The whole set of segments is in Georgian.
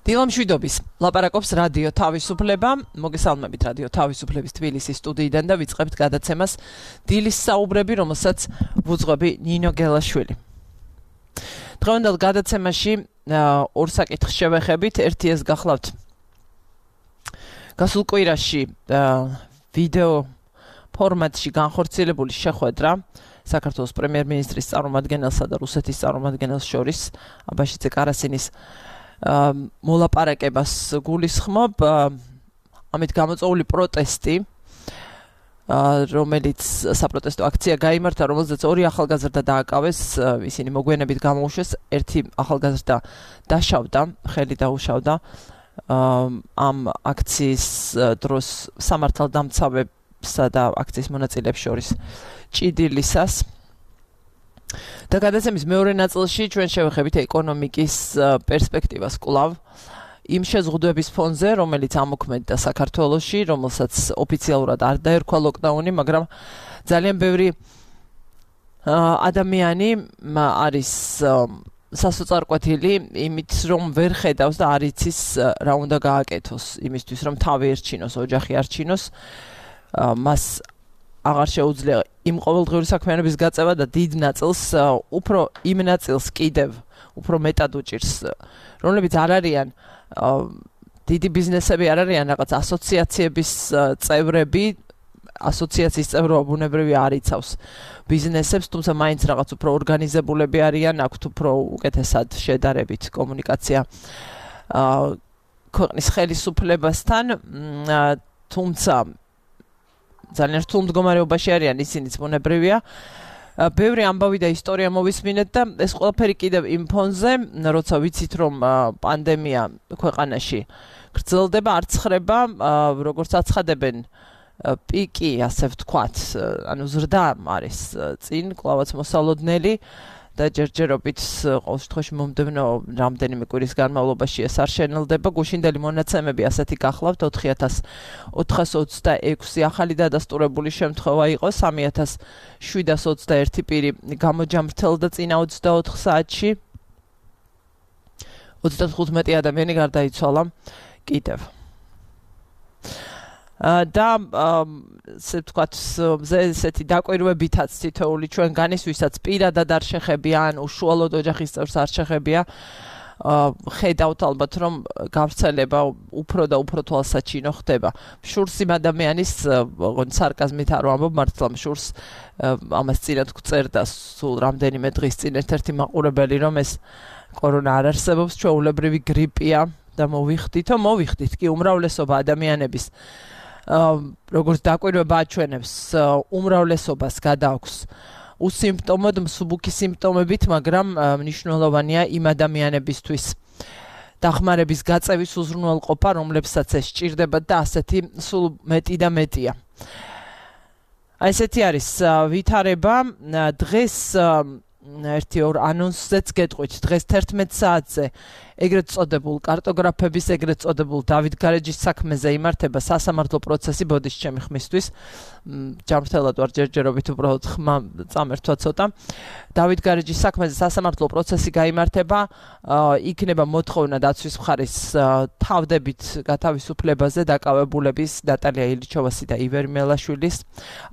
დილამშვიდობის ლაპარაკობს რადიო თავისუფლება, მოგესალმებით რადიო თავისუფლების თბილისის სტუდიიდან და ვიწყებთ გადაცემას დილის საუბრები, რომელსაც ვუძღვები ნინო გელაშვილი. დღევანდელ გადაცემაში ორ საკითხს შევეხებით, ერთი ეს გახლავთ გასულ კვირაში ვიდეო ფორმატში განხორციელებული შეხვედრა საქართველოს პრემიერ-მინისტრის წარმომადგენელსა და რუსეთის წარმომადგენელს შორის აბაშიძე კარასინის მოლაპარაკებას გულისხმობ, ამით გამოწვეული პროტესტი, რომელიც საპროტესტო აქცია გაიმართა, რომელზეც ორი ახალგაზრდა დააკავეს, ისინი მოგვიანებით გამოუშვეს, ერთი ახალგაზრდა დაშავდა, ხელი დაუშავდა ამ აქციის დროს სამართალდამცავებსა და აქციის მონაწილეებს შორის ჭიდილისას. და გადაცემის მეორე ნაწილში ჩვენ შევეხებით ეკონომიკის პერსპექტივას კვლავ იმ შეზღუდვების ფონზე, რომელიც ამოქმედდა საქართველოში, რომელსაც ოფიციალურად არ დაერქვა ლოკდაუნი, მაგრამ ძალიან ბევრი ადამიანი არის სასოწარკვეთილი იმით, რომ ვერ ხედავს და არ იცის რა უნდა გააკეთოს იმისთვის, რომ თავი ერჩინოს, ოჯახი არჩინოს, მას აღარ შეუძლია იმ ყოველდღიური საქმიანობის გაწევა და დიდ ნაწილს უფრო იმ ნაწილს კიდევ უფრო მეტად უჭირს, რომლებიც არ არიან დიდი ბიზნესები, არ არიან რაღაც ასოციაციების წევრები, ასოციაციის წევრობა ბუნებრივი არ იცავს ბიზნესებს, თუმცა მაინც რაღაც უფრო ორგანიზებულები არიან, აქვთ უფრო უკეთესად შედარებით კომუნიკაცია ქვეყნის ხელისუფლებასთან, თუმცა ძალიან რთულ მდგომარეობაში არიან, ისინიც ბუნებრივია. ბევრი ამბავი და ისტორია მოვისმინეთ და ეს ყველაფერი კიდევ იმ ფონზე, როცა ვიცით, რომ პანდემია ქვეყანაში გრძელდება, არ ცხრება, როგორც აცხადებენ პიკი, ასე ვთქვათ, ანუ ზრდა არის წინ, კვლავაც მოსალოდნელი და ჯერჯერობით ყოველ შემთხვევაში მომდევნო რამდენიმე კვირის განმავლობაში ეს არ შენელდება. გუშინდელი მონაცემები ასეთი გახლავთ 4426 ახალი დადასტურებული შემთხვევა იყო, 3721 პირი გამოჯამრთელდა წინა 24 საათში, 35 ადამიანი გარდაიცვალა კიდევ. და ვთქვათ, ესეთი დაკვირვებითაც თითოეული ჩვენგანის, ვისაც პირადად არ შეხებია, ან უშუალოდ ოჯახის წევრს არ შეხებია, ხედავთ ალბათ, რომ გავრცელება უფრო და უფრო თვალსაჩინო ხდება. შურს იმ ადამიანის, სარკაზმით არ ვამბობ, მართლა შურს ამას წინათ გვწერდა სულ რამდენიმე დღის წინ ერთ-ერთი მაყურებელი, რომ ეს კორონა არ არსებობს, ჩვეულებრივი გრიპია და მოვიხდით კი უმრავლესობა ადამიანების როგორც დაკვირვება აჩვენებს, უმრავლესობას გადააქვს უსიმპტომოდ მსუბუქი სიმპტომებით, მაგრამ მნიშვნელოვანია იმ ადამიანებისთვის დახმარების გაწევის უზრუნველყოფა, რომლებსაც ეს სჭირდებათ და ასეთი სულ მეტი და მეტია. ესეთი არის ვითარება. დღეს ერთი ორ ანონსზეც გეტყვით, დღეს 11 საათზე ეგრეთ წოდებულ კარტოგრაფების, ეგრეთ წოდებულ დავით გარეჯის საქმეზე იმართება სასამართლო პროცესი, ბოდიშ ჩემი ხმისთვის, ჯამრთელად ვარ ჯერჯერობით, უბრალოდ ხმა წამერთვა ცოტა. დავით გარეჯის საქმეზე სასამართლო პროცესი გაიმართება, იქნება მოთხოვნა დაცვის მხარის თავდებით გათავისუფლებაზე დაკავებულების ნატალია ილიჩოვასი და ივერ მელაშვილის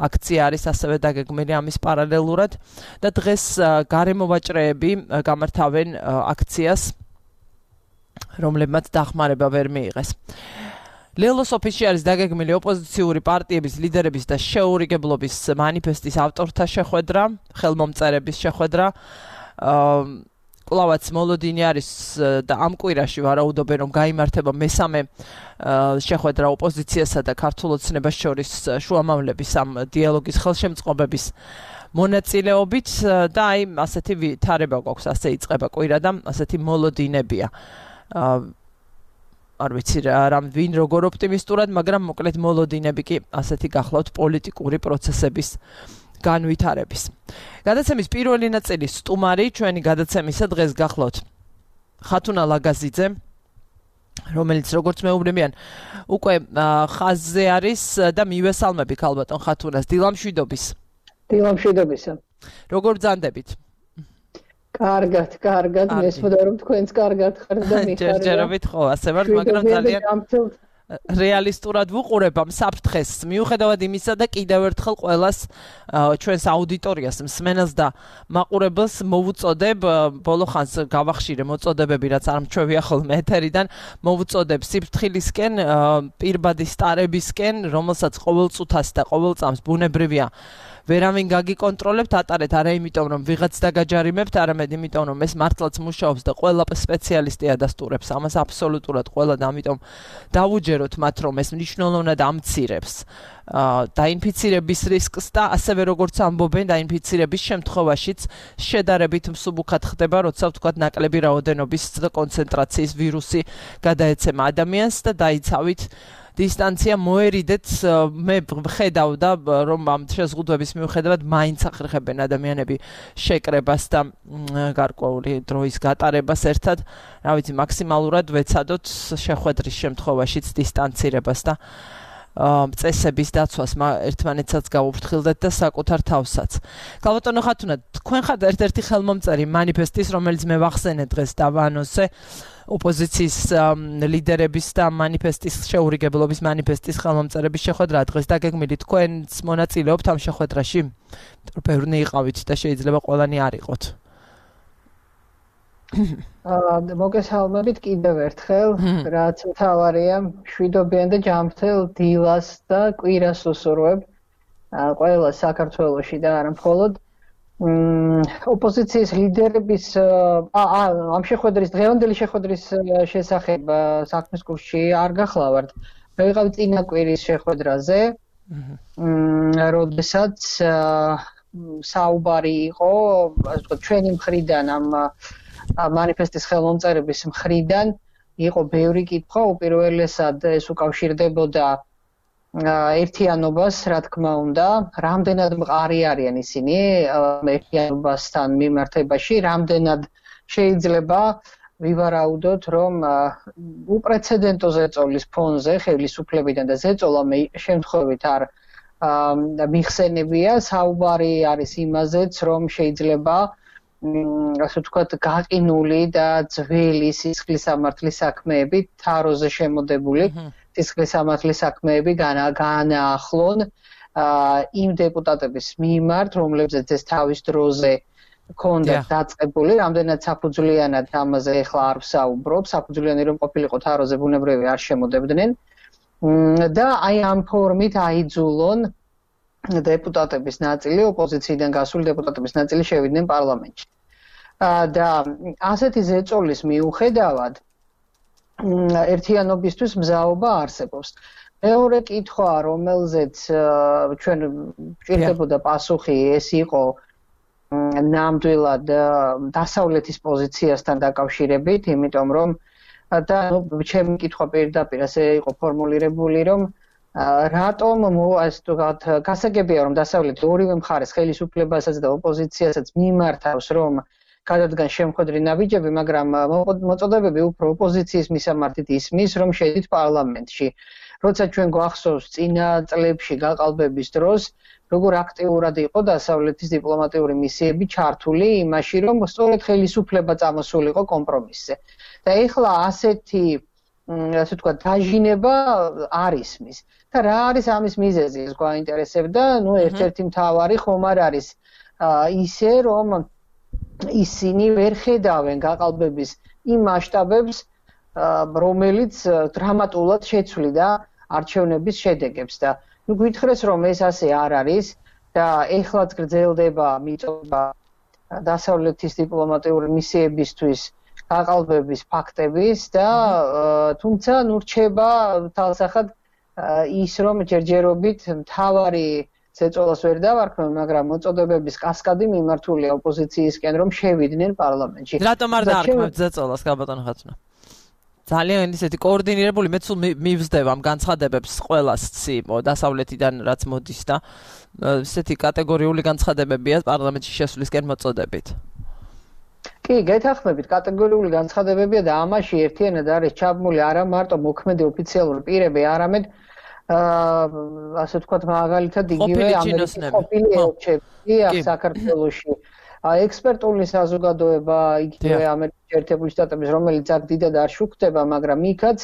აქცია არის ასევე დაგეგმილი ამის პარალელურად და დღეს გარემოვაჭრეები გამართავენ აქციას, რომლებმაც დახმარება ვერ მიიღეს. ლელოს ოფისში არის დაგეგმილი ოპოზიციური პარტიების ლიდერების და შეურიგებლობის მანიფესტის ავტორთა შეხვედრა, ხელმომწერების შეხვედრა. კვლავაც მოლოდინი არის და ამ კვირაში ვარაუდობენ, რომ გაიმართება მესამე შეხვედრა ოპოზიციასა და ქართულ ოცნებას შორის შუამავლების ამ დიალოგის ხელშემწყობების მონაწილეობით და აი ასეთი ვითარება გვაქვს, ასე იწყება კვირა და ასეთი მოლოდინებია. არ ვიცი ვინ როგორ ოპტიმისტურად, მაგრამ მოკლედ მოლოდინები კი ასეთი გახლავთ პოლიტიკური პროცესების განვითარების. გადაცემის პირველი ნაწილი სტუმარი ჩვენი გადაცემისა დღეს გახლავთ ხათუნა ლაგაზიძე, რომელიც როგორც მეუბნებიან უკვე ხაზზე არის და მივესალმები ქალბატონ ხათუნას. დილამშვიდობის. დილამშვიდობისა. როგორ ბრძანდებით? კარგად, მესმოდა რომ თქვენც კარგად ხართ და მიხარდა. ჯერჯერობით ხო, ასე ვარ, მაგრამ ძალიან რეალისტურად ვუყურებ ამ საფრთხეს, მიუხედავად იმისა და კიდევ ერთხელ ყველას ჩვენს აუდიტორიას, მსმენელს და მაყურებელს მოვუწოდებ, ბოლო ხანს გავახშირე მოწოდებები, რაც არ მჩვევია ხოლმე ეთერიდან, მოვუწოდებ სიფრთხილისკენ, პირბადის სტარებისკენ, რომელსაც ყოველ წუთას და ყოველ წამს ბუნებრივია ვერავინ გაგიკონტროლებთ, ატარეთ არა იმიტომ რომ ვიღაც დაგაჯარიმებთ, არამედ იმიტომ რომ ეს მართლაც მუშაობს და ყველა სპეციალისტი ადასტურებს ამას აბსოლუტურად ყველა და ამიტომ დავუჯეროთ მათ რომ ეს მნიშვნელოვნად ამცირებს დაინფიცირების რისკს და ასევე როგორც ამბობენ დაინფიცირების შემთხვევაშიც შედარებით მსუბუქად ხდება, როცა ვთქვათ ნაკლები რაოდენობის და კონცენტრაციის ვირუსი გადაეცემა ადამიანს და დაიცავით დისტანცია მოერიდეთ მე ხედავდა რომ ამ შეზღუდვების მიუხედავად მაინც ახერხებენ ადამიანები შეკრებას და გარკვეული დროის გატარებას ერთად, რა ვიცი, მაქსიმალურად ვეცადოთ შეხვედრის შემთხვევაშიც დისტანცირებას და წესების დაცვას ერთმანეთსაც გავუფრთხილდეთ და საკუთარ თავსაც. გალბატონო ხათუნა, თქვენ ხართ ერთ-ერთი ხელმომწერი მანიფესტის, რომელიც მე ვახსენე დღეს დავანონსე ოპოზიციის ლიდერების და მანიფესტის შეურიგებლობის მანიფესტის ხელმომწერების შეხვედრა დღეს დაგეგმილი, თქვენც მონაწილეობთ ამ შეხვედრაში? ბევრნი იყავით და შეიძლება ყველანი არ იყოთ. მოგესალმებით კიდევ ერთხელ, რაც მთავარია, მშვიდობიან და ჯანმრთელ დილას და კვირას უსურვებ ყველა საქართველოში და არა მხოლოდ ოპოზიციის ლიდერების ამ შეხვედრის დღევანდელი შეხვედრის შესახებ საქმის კურსში არ გახლავართ. მე ვიყავი წინა კვირის შეხვედრაზე, როდესაც საუბარი იყო, ასე ვთქვათ, ჩვენი მხრიდან ამ მანიფესტის ხელმომწერების მხრიდან იყო ბევრი კითხვა, უპირველესად ეს უკავშირდებოდა ერთიანობას, რა თქმა უნდა, რამდენად მყარი არიან ისინი ერთიანობასთან მიმართებაში, რამდენად შეიძლება ვივარაუდოთ, რომ უპრეცედენტო ზეწოლის ფონზე, ხელისუფლებიდან და ზეწოლა შემთხვევით არ მიხსენებია, საუბარი არის იმაზეც, რომ შეიძლება ასე ვთქვათ, გაყინული და ძველი სისხლისამართლის საქმეები, თაროზე შემოდებული სისხლისამართლის საქმეები განაახლონ იმ დეპუტატების მიმართ, რომლებზეც ეს თავის დროზე ჰქონდათ დაწყებული, რამდენად საფუძვლიანად ამაზე ეხლა არ ვსაუბრობ, საფუძვლიანი რომ ყოფილიყო თაროზე ბუნებრივი არ შემოდებდნენ და აი ამ ფორმით აიძულონ დეპუტატების ნაწილი, ოპოზიციიდან გასული დეპუტატების ნაწილი შევიდნენ პარლამენტში. და ასეთი ზეწოლის მიუხედავად ერთიანობისთვის მზაობა არსებობს. მეორე კითხვა, რომელზეც ჩვენ გვჭირდებოდა პასუხი, ეს იყო ნამდვილად დასავლეთის პოზიციასთან დაკავშირებით, იმიტომ რომ და ჩემი კითხვა პირდაპირ ასე იყო ფორმულირებული, რომ რატომ ასე ვთქვათ, გასაგებია რომ დასავლეთი ორივე მხარეს ხელისუფლებასაც და ოპოზიციასაც მიმართავს, რომ გადადგან შემხვედრი ნაბიჯები, მაგრამ მოწოდებები უფრო ოპოზიციის მისამართით ისმის, რომ შედით პარლამენტში. როცა ჩვენ გვახსოვს წინა წლებში გაყალბების დროს, როგორ აქტიურად იყო დასავლეთის დიპლომატიური მისიები ჩართული იმაში, რომ სწორედ ხელისუფლება წამოსულიყო კომპრომისზე. და ეხლა ასეთი ასე ვთქვათ, დაჟინება არ ისმის. და რა არის ამის მიზეზი, ეს გვაინტერესებდა, ერთ-ერთი მთავარი ხომ არ არის ისე, რომ ისინი ვერ ხედავენ გაყალბების იმ მასშტაბებს, რომელიც დრამატულად შეცვლიდა არჩევნების შედეგებს და გითხრეს, რომ ეს ასე არ არის და ეხლაც გრძელდება მიწოდება დასავლეთის დიპლომატიური მისიებისთვის გაყალბების ფაქტების და თუმცა რჩება თალსახად ის, რომ ჯერჯერობით მთავარი ზეწოლას ვერ დავარქმევ, მაგრამ მოწოდებების კასკადი მიმართულია ოპოზიციისკენ, რომ შევიდნენ პარლამენტში. რატომ არ დაარქმევთ ზეწოლას, გალბატონო ხათუნა? ძალიან ისეთი კოორდინირებული, მეც მივსდევ ამ განცხადებებს ყველას დასავლეთიდან რაც მოდის და ესეთი კატეგორიული განცხადებებია პარლამენტში შესვლისკენ მოწოდებით. კი, გეთანხმებით, კატეგორიული განცხადებებია და ამაში ერთიანად არის ჩაბმული არა მარტო მოქმედი ოფიციალური პირები, არამედ ასე ვთქვათ, მაგალითად იგივე ამერიკის ყოფილი ელჩები საქართველოში, ექსპერტული საზოგადოება იგივე ამერიკის შეერთებული შტატების, რომელიც აქ დიდად არ შუქდება, მაგრამ იქაც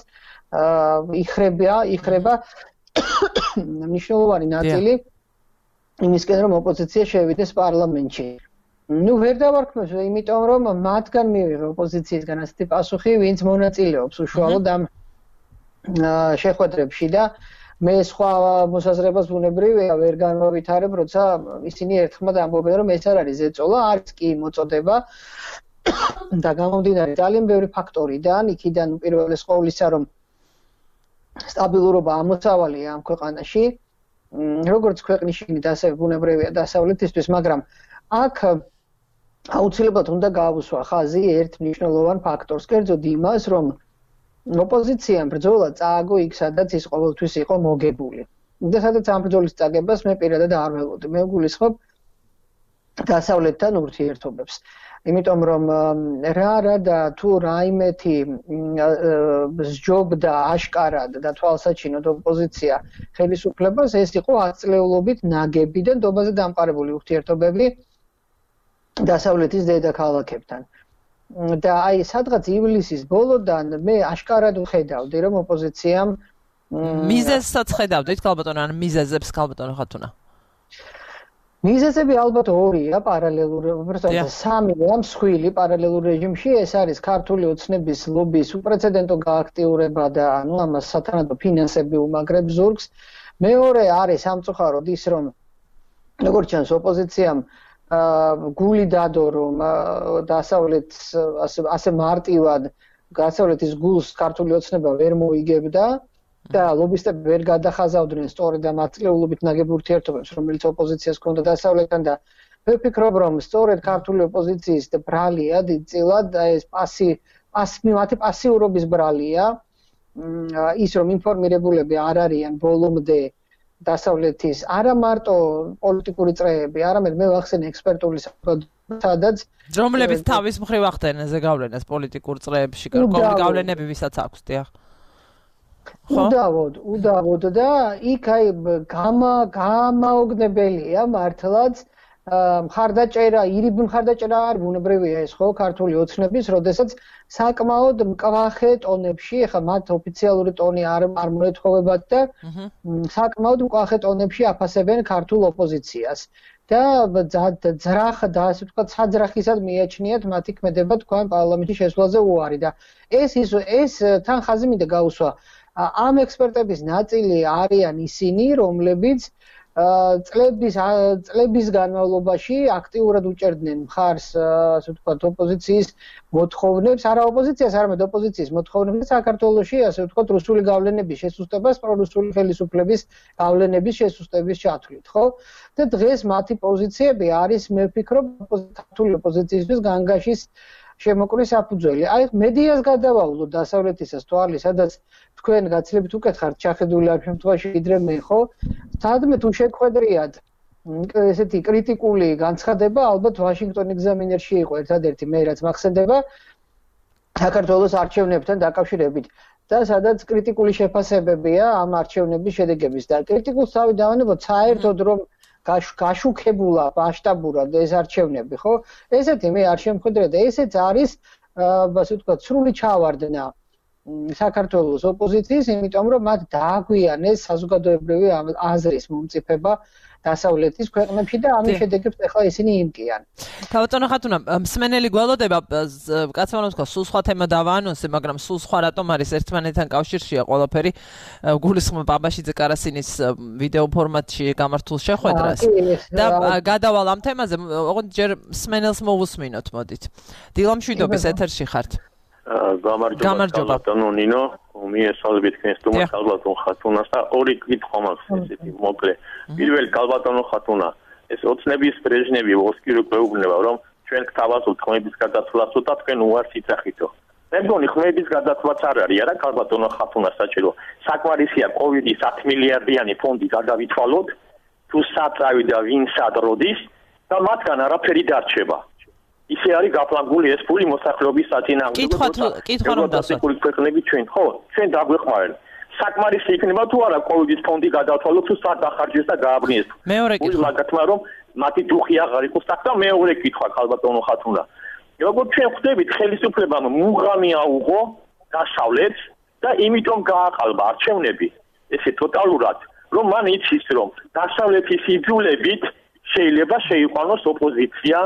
იხრება მნიშვნელოვანი ნაწილი იმისკენ, რომ ოპოზიცია შევიდეს პარლამენტში. ვერ დავარქმევს, იმიტომ რომ მათგან მივიღე ოპოზიციისგან ასეთი პასუხი, ვინც მონაწილეობს უშუალოდ ამ შეხვედრებში და მე სხვა მოსაზრებას ბუნებრივია ვერ განვავითარებ, როცა ისინი ერთხმად ამბობენ, რომ ეს არ არის ზეწოლა, არის კი მოწოდება და გამომდინარე ძალიან ბევრი ფაქტორიდან, იქიდან უპირველეს ყოვლისა, რომ სტაბილურობა ამოსავალია ამ ქვეყანაში, როგორც ქვეყნის შიგნით, ასე ბუნებრივია დასავლეთისთვის, მაგრამ აქ აუცილებლად უნდა გაავსვა ხაზი ერთ მნიშვნელოვან ფაქტორს, კერძოდ იმას, რომ ოპოზიციამ ბრძოლა წააგო იქ, სადაც ის ყოველთვის იყო მოგებული. და სადაც ამ ბრძოლის წაგებას მე პირადად არ ველოდი. მე ვგულისხმობ დასავლეთთან ურთიერთობებს. იმიტომ რომ რა და თუ რაიმეთი სჯობდა აშკარად და თვალსაჩინოდ ოპოზიცია ხელისუფლებას, ეს იყო ათწლეულობით ნაგები და ნდობაზე დამყარებული ურთიერთობები დასავლეთის დედაქალაქებთან. და აი სადღაც ივლისის ბოლოდან მე აშკარად ვხედავდი, რომ ოპოზიციამ მიზეზსაც ხედავდით, ქალბატონო, ან მიზეზებს, ქალბატონო ხათუნა? მიზეზები ალბათ ორია პარალელური, უბრალოდ სამია მსხვილი პარალელურ რეჟიმში, ეს არის ქართული ოცნების ლობის უპრეცედენტო გააქტიურება და ანუ ამას სათანადო ფინანსები უმაგრებს ზურგს. მეორე არის სამწუხაროდ ის, რომ როგორც ჩანს ოპოზიციამ გული დადო, რომ დასავლეთს ასე მარტივად დასავლეთის გულს ქართული ოცნება ვერ მოიგებდა და ლობისტები ვერ გადახაზავდნენ სწორედ ამ ათწლეულობით ნაგებ ურთიერთობებს, რომელიც ოპოზიციას ჰქონდა დასავლეთთან და მე ვფიქრობ, რომ სწორედ ქართული ოპოზიციის ბრალია დიდწილად ეს მათი პასიურობის ბრალია, ის რომ ინფორმირებულები არ არიან ბოლომდე დასავლეთის არა მარტო პოლიტიკური წრეები, არამედ მე ვახსენე ექსპერტული საზოგადოება, სადაც რომლებიც თავის მხრივ ახდენენ ზეგავლენას პოლიტიკურ წრეებში, გავლენები ვისაც აქვს, დიახ. უდავოდ და იქ აი გამაოგნებელია მართლაც მხარდაჭერა, ირიბ მხარდაჭერა არ ბუნებრივია ეს ხო ქართული ოცნების, როდესაც საკმაოდ მკვახე ტონებში, ახლა მათ ოფიციალური ტონი არ მოეთხოვებათ და საკმაოდ მკვახე ტონებში აფასებენ ქართულ ოპოზიციას. და ძრახ და ასე ვთქვათ, საძრახისად მიაჩნიათ მათი ქმედება თქვენ პარლამენტში შესვლაზე უარი და ეს თან ხაზი მინდა გაუსვა. ამ ექსპერტების ნაწილი არიან ისინი, რომლებიც წლების განმავლობაში აქტიურად უჭერდნენ მხარს, ასე ვთქვათ, ოპოზიციის მოთხოვნებს, არა ოპოზიციას, არამედ ოპოზიციის მოთხოვნებს საქართველოში, ასე ვთქვათ, რუსული გავლენების შესუსტებას, პრორუსული ხელისუფლების გავლენების შესუსტების ჩათვლით, ხო? და დღეს მათი პოზიციები არის, მე ვფიქრობ, ქართული ოპოზიციისთვის განგაშის შემოკვრის საფუძველი. აი მედიას გადავავლო დასავლეთისას თვალი, სადაც თქვენ გაცილებით უკეთ ხართ ჩახედული ამ შემთხვევაში ვიდრე მე, ხო? სადმე თუ შეგხვედრიათ ესეთი კრიტიკული განცხადება, ალბათ ვაშინგტონ ეგზამინერში იყო ერთადერთი მე რაც მახსენდება საქართველოს არჩევნებთან დაკავშირებით და სადაც კრიტიკული შეფასებებია ამ არჩევნების შედეგების და კრიტიკულს თავი დავანებოთ საერთოდ რომ გაშუქებულა მასშტაბურად ეს არჩევნები, ხო? ესეთი მე არ შემხედრე და ესეც არის, ასე ვთქვათ, სრული ჩავარდნა საქართველოს ოპოზიციის, იმიტომ რომ მათ დააგვიანეს საზოგადოებრივი აზრის მომწიფება დასავლეთის ქვეყნებში და ამის შედეგებს ახლა ისინი იმკიან. ქალბატონო ხათუნა, მსმენელი გველოდება, კაცმა რომ თქვა, სულ სხვა თემა დავაანონსე, მაგრამ სულ სხვა რატომ არის ერთმანეთთან კავშირშია ყველაფერი. გულისხმობ აბაშიძე კარასინის ვიდეო ფორმატში გამართულ შეხვედრას და გადავალ ამ თემაზე, ოღონდ ჯერ მსმენელს მოვუსმინოთ, მოდით. დილა მშვიდობის ეთერში ხართ. გამარჯობა ბატონო ნინო, მიესალმებით თქვენს თუმას ქალბატონ ხათუნას და ორი კითხვა მაქვს ესეთი მოკლე. პირველი ქალბატონო ხათუნა, ეს ოცნების ბრეჟნევი მოსკივი გვეუბნება, რომ ჩვენ გთავაზობთ ხმების გადაცვლას და თქვენ უარს იცახითო. მე მგონი ხმების გადაცვლაც არ არის, არა ქალბატონო ხათუნა საჭირო. საკმარისია კოვიდის 10 მილიარდიანი ფონდი გადავითვალოთ, თუ საწავი და ვინ სად როდის და მათგან არაფერი დარჩება. ისე არის გაფლანგული ეს ფული მოსახლეობის საწინააღმდეგო. კითხვა რომ დასაკული ქვეყნები ჩვენ, ხო, ჩვენ დაგვეხმარენ. საკმარისი იქნება თუ არა კოვიდის ფონდი გადავთვალოთ თუ სად დახარჯეს და გააბრინეს. მეორე კითხვა. მაგათმა რომ მათი დუხი აღარ იყოს აქ და მეორე კითხვა ქალბატონო ხათუნა. როგორც ჩვენ ხვდებით, ხელისუფლებამ მუღამი აუღო დასავლეთს და იმიტომ გააყალბა არჩევნები. ესე ტოტალურად, რომ მან იცის, რომ დასავლეთის იძულებით შეიძლება შეიყვანოს ოპოზიცია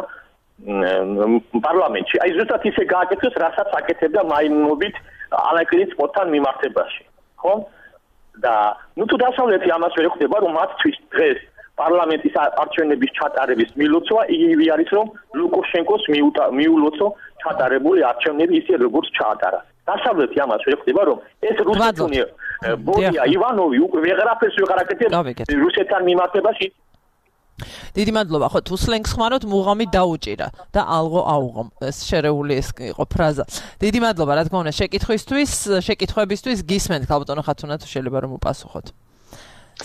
პარლამენტში. აი ზუსტად ისე გააკეთოს, რასაც აკეთებდა მაიმუნობით ალექსის პოტან მიმართებაში. ხო? და თუ დასავლეთი ამას ვერ ხვდება, რომ მათთვის დღეს პარლამენტის არჩევნების ჩატარების მილოცვა იგივე არის, რომ ლუკაშენკოს მიულოცო ჩატარებული არჩევნები ისე როგორც ჩაატარა. დასავლეთი ამას ვერ ხვდება, რომ ეს რუსეთუნი ბორია ივანოვი უკვე ვეღარაფერს ვეღარ აკეთებს რუსეთთან მიმართებაში. დიდი მადლობა. ხო, თუ სლენგს ხმარობთ, მუღამი დაუჭირა და ალღო აუღო. ეს შერეული ეს იყო ფრაზა. დიდი მადლობა, რა თქმა უნდა, შეკითხვებისთვის გისმენთ ქალბატონო ხათუნა, თუ შეიძლება რომ უპასუხოთ.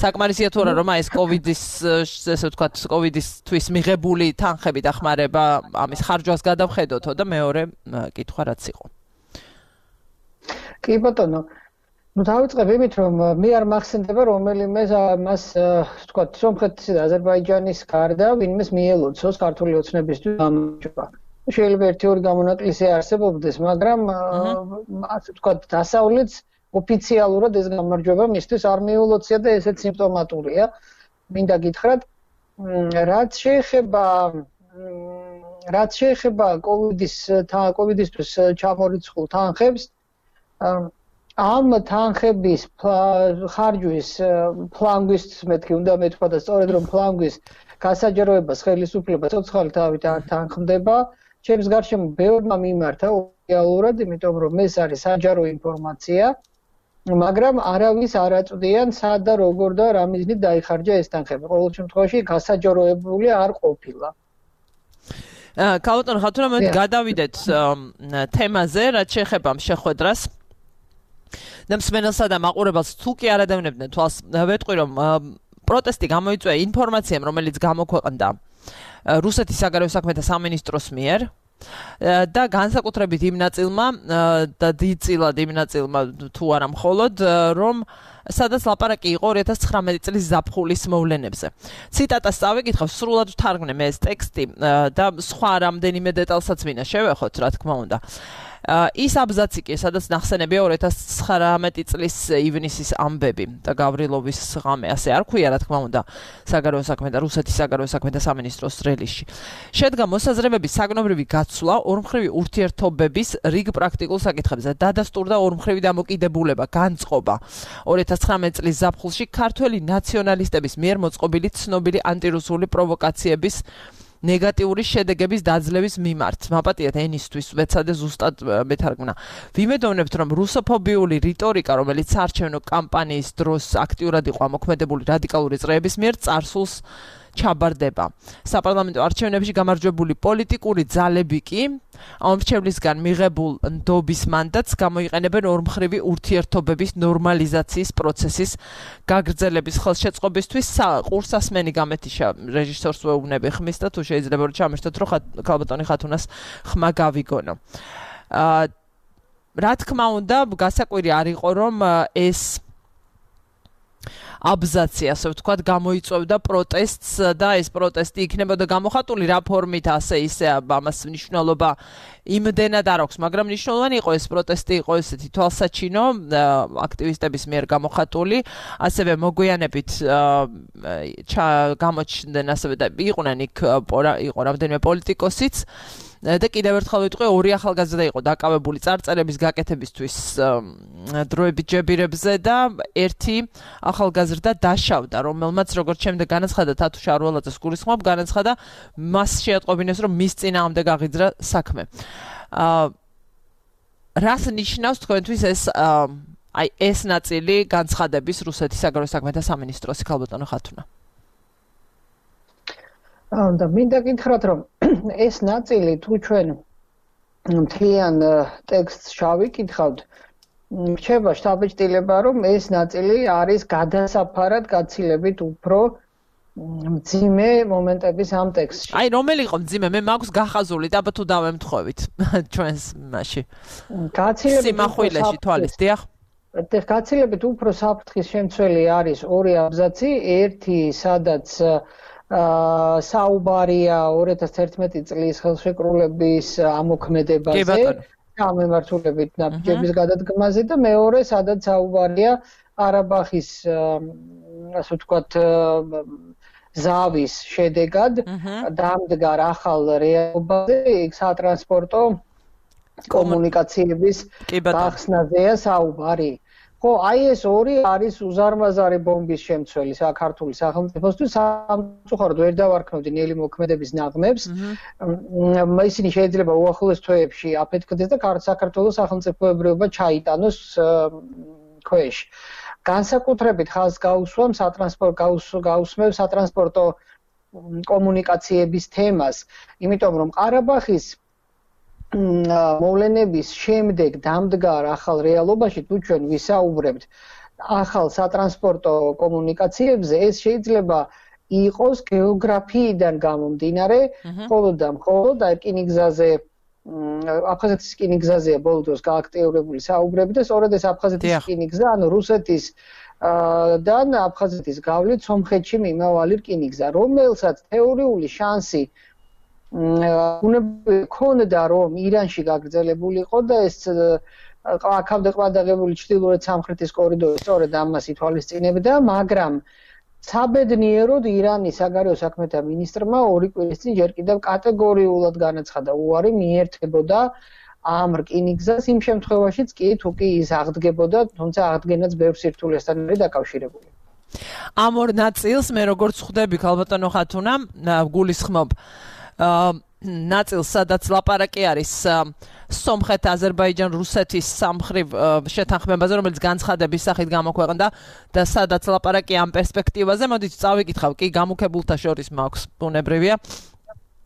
საკმარისია თუ არა, რომ ეს კოვიდის, ესე ვთქვათ, კოვიდისთვის მიღებული თანხები დახმარება ამის ხარჯვას გადავხედოთო და მეორე კითხვა რაც იყო. კი ბატონო, დავიწყებ იმით, რომ მე არ მახსენდება რომელიმე მას ვთქვათ, სომხეთის და აზერბაიჯანის გარდა ვინმეს მიელოცოს ქართული ოცნებისთვის გამარჯვება. შეიძლება ერთი-ორი გამონაკლისი არსებობდეს, მაგრამ ასე ვთქვათ, დასავლეთს ოფიციალურად ეს გამარჯვება მისთვის არ მიულოცა და ესეც სიმპტომატურია. მინდა გითხრათ, რაც შეეხება კოვიდისთვის ჩამორიცხულ თანხებს, ამ თანხების ხარჯვის ფლანგვის მეთქი უნდა მეთქვა და სწორედ რომ ფლანგვის გასაჯაროებას ხელისუფლება ცოცხალი თავით არ თანხმდება. ჩემს გარშემო ბევრმა მიმართა ოფიციალურად, იმიტომ რომ ეს არის საჯარო ინფორმაცია, მაგრამ არავის არ აწვდიან სად და როგორ და რა მიზნით დაიხარჯა ეს თანხები. ყოველ შემთხვევაში გასაჯაროებული არ ყოფილა. ქალბატონო ხათუნა, მე გადავიდეთ თემაზე, რაც შეეხება შეხვედრას. და მსმენელსა და მაყურებელს თუ კი არ ადევნებდნენ თვალს, ვეტყვი რომ პროტესტი გამოიწვია ინფორმაციამ, რომელიც გამოქვეყნდა რუსეთის საგარეო საქმეთა სამინისტროს მიერ და განსაკუთრებით იმ ნაწილმა და დიდწილად იმ ნაწილმა თუ არა მხოლოდ რომ სადაც ლაპარაკი იყო 2019 წლის ზაფხულის მოვლენებზე. ციტატას წავიკითხავ, სრულად ვთარგმნე მე ეს ტექსტი და სხვა რამდენიმე დეტალსაც მინდა შევეხოთ, რა თქმა უნდა. ის აბზაცი კი, სადაც ნახსენებია 2019 წლის ივნისის ამბები და გავრილოვის ღამე, ასე არ ქვია, რა თქმა უნდა, საგარეო საქმეთა რუსეთის საგარეო საქმეთა სამინისტროს რელისში. შედგა მოსაზრებების საგნობრივი გაცვლა ორმხრივი ურთიერთობების რიგ პრაქტიკულ საკითხებზე. დადასტურდა ორმხრივი დამოკიდებულება, განწყობა 2019 წლის ზაფხულში ქართველი ნაციონალისტების მიერ მოწყობილი ცნობილი ანტირუსული პროვოკაციების ნეგატიური შედეგების დაძლევის მიმართ. მაპატიეთ ენისთვის ვეცადე ზუსტად მეთარგმნა. ვიმედოვნებთ, რომ რუსოფობიული რიტორიკა, რომელიც საარჩევნო კამპანიის დროს აქტიურად იყო ამოქმედებული რადიკალური წრეების მიერ, წარსულს ჩაბარდება. საპარლამენტო არჩევნებში გამარჯვებული პოლიტიკური ძალები კი ამრჩევლისგან მიღებულ ნდობის მანდატს გამოიყენებენ ორმხრივი ურთიერთობების ნორმალიზაციის პროცესის გაგრძელების ხელშეწყობისთვის. ყურსასმენი გამეთიშა რეჟისორს ვეუბნები ხმის და თუ შეიძლება რომ ჩამერთოთ, რომ ქალბატონი ხათუნას ხმა გავიგონო. რა თქმა უნდა, გასაკვირი არ იყო, რომ ეს აბზაცი, ასე ვთქვათ, გამოიწვევდა პროტესტს და ეს პროტესტი იქნებოდა გამოხატული რა ფორმით, ასე ისე ამას მნიშვნელობა იმდენად არ აქვს, მაგრამ მნიშვნელოვანი იყო ეს პროტესტი, იყო ესეთი თვალსაჩინო აქტივისტების მიერ გამოხატული, ასევე მოგვიანებით გამოჩნდნენ, ასევე და იყვნენ იქ იყო რამდენიმე პოლიტიკოსიც. და კიდევ ერთხელ ვიტყვი, ორი ახალგაზრდა იყო დაკავებული წარწერების გაკეთებისთვის დროებით ჯებირებზე და ერთი ახალგაზრდა დაშავდა, რომელმაც როგორც შემდეგ განაცხადა თათუ შარველაძეს გულისხმობ, განაცხადა მას შეატყობინეს, რომ მის წინააღმდეგ აღიძრა საქმე. რას ნიშნავს თქვენთვის ეს ნაწილი განცხადების რუსეთის საგარეო საქმეთა სამინისტროს ქალბატონო ხათუნა? და მინდა გითხრათ, რომ ეს ნაწილი თუ ჩვენ მთლიან ტექსტს შევიკითხავთ, რჩება შთაბეჭდილება, რომ ეს ნაწილი არის გადასაფარად გაცილებით უფრო მძიმე მომენტების ამ ტექსტში. აი, რომელი იყო მძიმე? მე მაქვს გახაზული და აბა თუ დავემთხოვით ჩვენს მასში. სიმახვილეში თვალის, დიახ. გაცილებით უფრო საფრთხის შემცველი არის ორი აბზაცი, ერთი სადაც საუბარია 2011 წლის ხელშეკრულების ამოქმედებაზე, გამემართულებით ნაბიჯების გადადგმაზე და მეორე, სადაც საუბარია ყარაბაღის, ასე ვთქვათ, ზავის შედეგად დამდგარ ახალ რეალობაზე, სატრანსპორტო კომუნიკაციების გახსნაზეა საუბარი. ხო, აი ეს ორი არის უზარმაზარი ბომბის შემცველი საქართველოს სახელმწიფოსთვის, სამწუხაროდ ვერ დავარქმევდი ნელი მოქმედების ნაღმებს. ისინი შეიძლება უახლოეს თვეებში აფეთქდეს და საქართველოს სახელმწიფოებრიობა ჩაიტანოს ქვეშ. განსაკუთრებით ხაზს გაუსვამ გაუსმევ სატრანსპორტო კომუნიკაციების თემას, იმიტომ რომ ყარაბაღის მოვლენების შემდეგ დამდგარ ახალ რეალობაში თუ ჩვენ ვისაუბრებთ ახალ სატრანსპორტო კომუნიკაციებზე, ეს შეიძლება იყოს გეოგრაფიიდან გამომდინარე, მხოლოდ და მხოლოდ რკინიგზაზე, აფხაზეთის რკინიგზაზეა ბოლო დროს გააქტიურებული საუბრები და სწორედ ეს აფხაზეთის რკინიგზა, ანუ რუსეთის და აფხაზეთის გავლით სომხეთში მიმავალი რკინიგზა, რომელსაც თეორიული შანსი ქონდა რომ ირანში გაგრძელებულიყო და ეს აქამდე ყბადაღებული ჩრდილოეთ სამხრეთის კორიდორი სწორედ ამას ითვალისწინებდა, მაგრამ საბედნიეროდ ირანის საგარეო საქმეთა მინისტრმა ორი კვირის წინ ჯერ კიდევ კატეგორიულად განაცხადა უარი მიერთებოდა ამ რკინიგზას იმ შემთხვევაშიც კი თუ კი ის აღდგებოდა, თუმცა აღდგენაც ბევრ სირთულესთან არის დაკავშირებული. ამ ორ ნაწილს მე როგორც ხვდები ქალბატონო ხათუნა, გულისხმობ ნაწილს, სადაც ლაპარაკი არის სომხეთ, აზერბაიჯან, რუსეთის სამხრივ შეთანხმებაზე, რომელიც განცხადების სახით გამოქვეყნდა და სადაც ლაპარაკი ამ პერსპექტივაზე, მოდით წავიკითხავ, კი გამუქებულთა შორის მაქვს ბუნებრივია.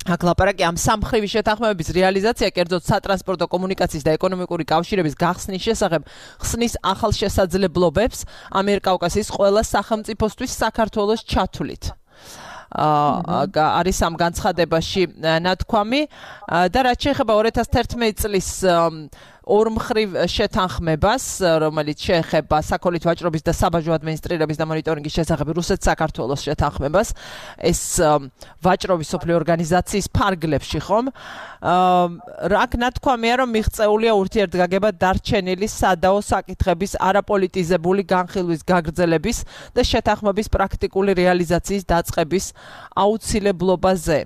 აქ ლაპარაკი ამ სამხრივი შეთანხმებების რეალიზაცია, კერძოდ სატრანსპორტო კომუნიკაციის და ეკონომიკური კავშირების გახსნის შესახებ ხსნის ახალ შესაძლებლობებს ამიერკავკასიის ყველა სახელმწიფოსთვის საქართველოს ჩათვლით. არის ამ განცხადებაში ნათქვამი და რაც შეეხება 2011 წლის ორმხრივ შეთანხმებას, რომელიც შეეხება საქონლის ვაჭრობის და საბაჟო ადმინისტრირების და მონიტორინგის შესახებ რუსეთ-საქართველოს შეთანხმებას, ეს ვაჭრობის სოფლიო ორგანიზაციის ფარგლებში ხომ? აქ ნათქვამია, რომ მიღწეულია ურთიერთგაგება დარჩენილი სადაო საკითხების არაპოლიტიზებული განხილვის გაგრძელების და შეთანხმების პრაქტიკული რეალიზაციის დაწყების აუცილებლობაზე.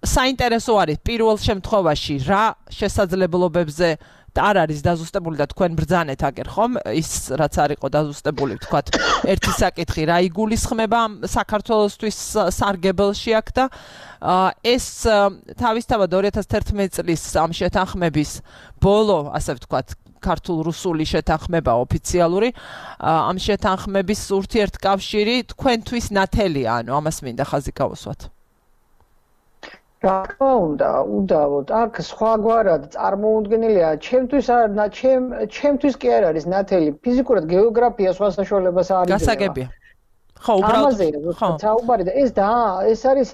საინტერესო არის პირველ შემთხვევაში რა შესაძლებლობებზე არ არის დაზუსტებული და თქვენ ბრძანეთ აგერ ხომ ის რაც არ იყო დაზუსტებული თქვათ ერთი საკითხი რა იგულისხმება საქართველოსთვის სარგებელში აქ და ეს თავისთავად 2011 წლის ამ შეთანხმების ბოლო ასე ვთქვათ ქართულ-რუსული შეთანხმება ოფიციალური ამ შეთანხმების ურთიერთკავშირი თქვენთვის ნათელია ანუ ამას მინდა ხაზი გავუსვათ რა თქმა უნდა, უდავოდ, აქ სხვაგვარად წარმოუდგენელია, ჩემთვის კი არ არის ნათელი, ფიზიკურად გეოგრაფია სხვა საშუალებას არ იძლევა. გასაგებია. ხო, უბრალოდ საუბარი და ეს არის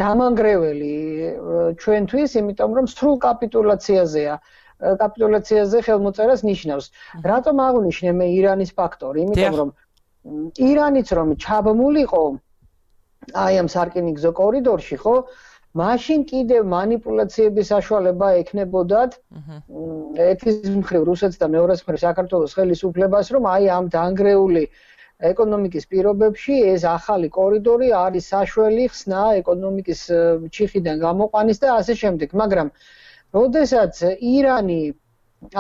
დამანგრეველი ჩვენთვის, იმიტომ რომ სრულ კაპიტულაციაზე ხელმოწერას ნიშნავს. რატომ აღვნიშნე მე ირანის ფაქტორი? იმიტომ რომ ირანიც რომ ჩაბმულიყო აი ამ სარკინიგზო კორიდორში, ხო? მაშინ კიდევ манипуляციების საშუალება ექნებოდათ ერთის მხრივ რუსეთს და მეორეს მხრივ საქართველოს ხელისუფლებას, რომ აი ამ დანგრეული ეკონომიკის პირობებში ეს ახალი კორიდორი არის საშველი ხსნა ეკონომიკის ჩიხიდან გამოყვანის და ასე შემდეგ. მაგრამ როდესაც ირანი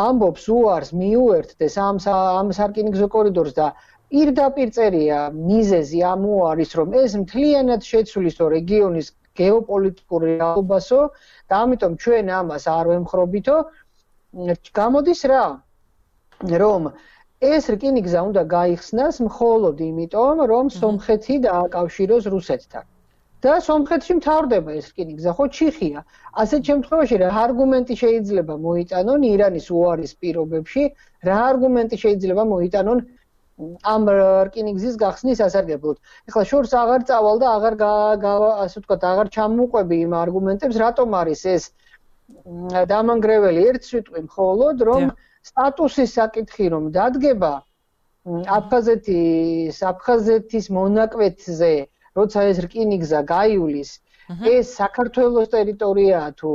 ამბობს უარს მიუერთდეს ამ სარკინიგზო კორიდორს და პირდაპირ წერია მიზეზი ამ უარის, რომ ეს მთლიანად შეცვლის το რეგიონის გეოპოლიტიკური რეალობასო და ამიტომ ჩვენ ამას არ ვემხრობითო, გამოდის რა, რომ ეს რკინიგზა უნდა გაიხსნას მხოლოდ იმიტომ, რომ სომხეთი დააკავშიროს რუსეთთან. და სომხეთში მთავრდება ეს რკინიგზა, ხო ჩიხია. ასეთ შემთხვევაში რა არგუმენტი შეიძლება მოიტანონ ირანის უარის პირობებში, რა არგუმენტი შეიძლება მოიტანონ ამ რკინიგზის გახსნის სასარგებლოდ. ეხლა შორს აღარ წავალ და ასე ვთქვათ, აღარ ჩამოყვები იმ არგუმენტებს, რატომ არის ეს დამანგრეველი ერთ სიტყვი მხოლოდ, რომ სტატუსის საკითხი რომ დადგება აფხაზეთის მონაკვეთზე, როცა ეს რკინიგზა გაივლის, ეს საქართველოს ტერიტორიაა თუ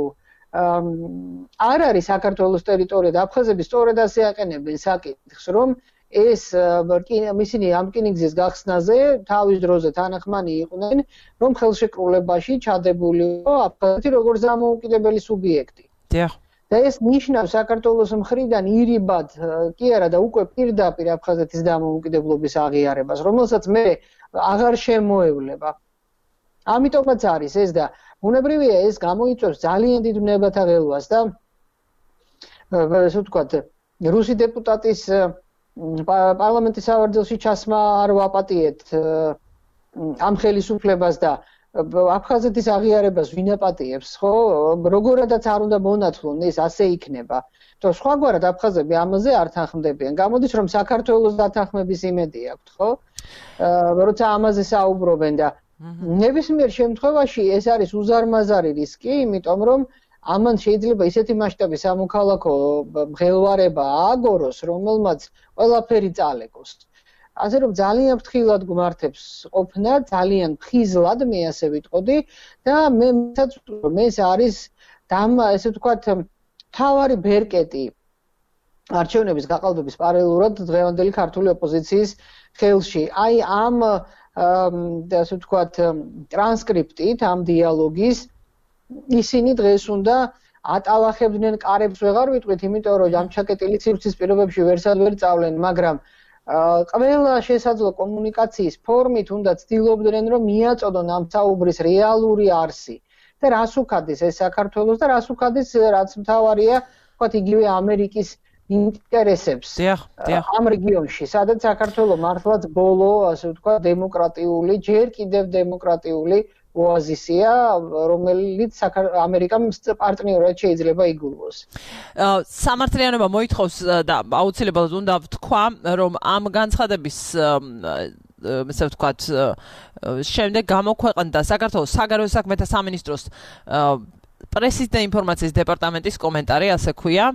არ არის საქართველოს ტერიტორია და აფხაზები სწორედ ასე აყენებენ საკითხს, რომ ეს ისინი ამ რკინიგზის გახსნაზე თავის დროზე თანახმანი იყვნენ, რომ ხელშეკრულებაში ჩადებულიყო აფხაზეთი როგორც დამოუკიდებელი სუბიექტი. დიახ. და ეს ნიშნავს საქართველოს მხრიდან ირიბად კი არა და უკვე პირდაპირ აფხაზეთის დამოუკიდებლობის აღიარებას, რომელსაც მე აღარ შემოევლება. ამიტომაც არის ეს და ბუნებრივია ეს გამოიწვევს ძალიან დიდ ვნებათა ღელვას და ასე ვთქვათ, რუსი დეპუტატის პარლამენტის სავარძელში ჩასმა არ ვაპატიეთ ამ ხელისუფლებას და აფხაზეთის აღიარებას ვინ აპატიებს, ხო? როგორადაც არ უნდა მონათლონ ეს ასე იქნება. თუ სხვაგვარად აფხაზები ამაზე არ თანხმდებიან. გამოდის რომ საქართველოს დათანხმების იმედი აქვთ, ხო? როცა ამაზე საუბრობენ და ნებისმიერ შემთხვევაში ეს არის უზარმაზარი რისკი, იმიტომ რომ ამან შეიძლება ისეთი მასშტაბის სამოქალაქო მღელვარება ააგოროს, რომელმაც ყველაფერი წალეკოს. ასე რომ ძალიან ფრთხილად გვმართებს ყოფნა, ძალიან ფხიზლად მე ასე ვიტყოდი და ეს არის ესე ვთქვათ თავარი ბერკეტი არჩევნების გაყალბების პარალელურად დღევანდელი ქართული ოპოზიციის ხელში. აი ამ ასე ვთქვათ ტრანსკრიპტით ამ დიალოგის ისინი დღეს უნდა ატალახებდნენ კარებს ვეღარ ვიტყვით, იმიტომ რომ ამ ჩაკეტილი სივრცის პირობებში ვერსად ვერ წავლენ, მაგრამ ყველა შესაძლო კომუნიკაციის ფორმით უნდა ცდილობდნენ, რომ მიაწოდონ ამ საუბრის რეალური არსი და რას უქადეს ეს საქართველოს და რას უქადეს რაც მთავარია, ვთქვათ, იგივე ამერიკის ინტერესებს ამ რეგიონში, სადაც საქართველოს მართლაც ბოლო, ასე ვთქვათ, დემოკრატიული, ჯერ კიდევ დემოკრატიული ოაზისია, რომელიც ამერიკამ პარტნიორად შეიძლება იგულოს. სამართლიანობა მოითხოვს და აუცილებლად უნდა ვთქვა, რომ ამ განცხადების ესე ვთქვათ, შემდეგ გამოქვეყნდა საქართველოს საგარეო საქმეთა სამინისტროს პრესის და ინფორმაციის დეპარტამენტის კომენტარი, ასე ქვია,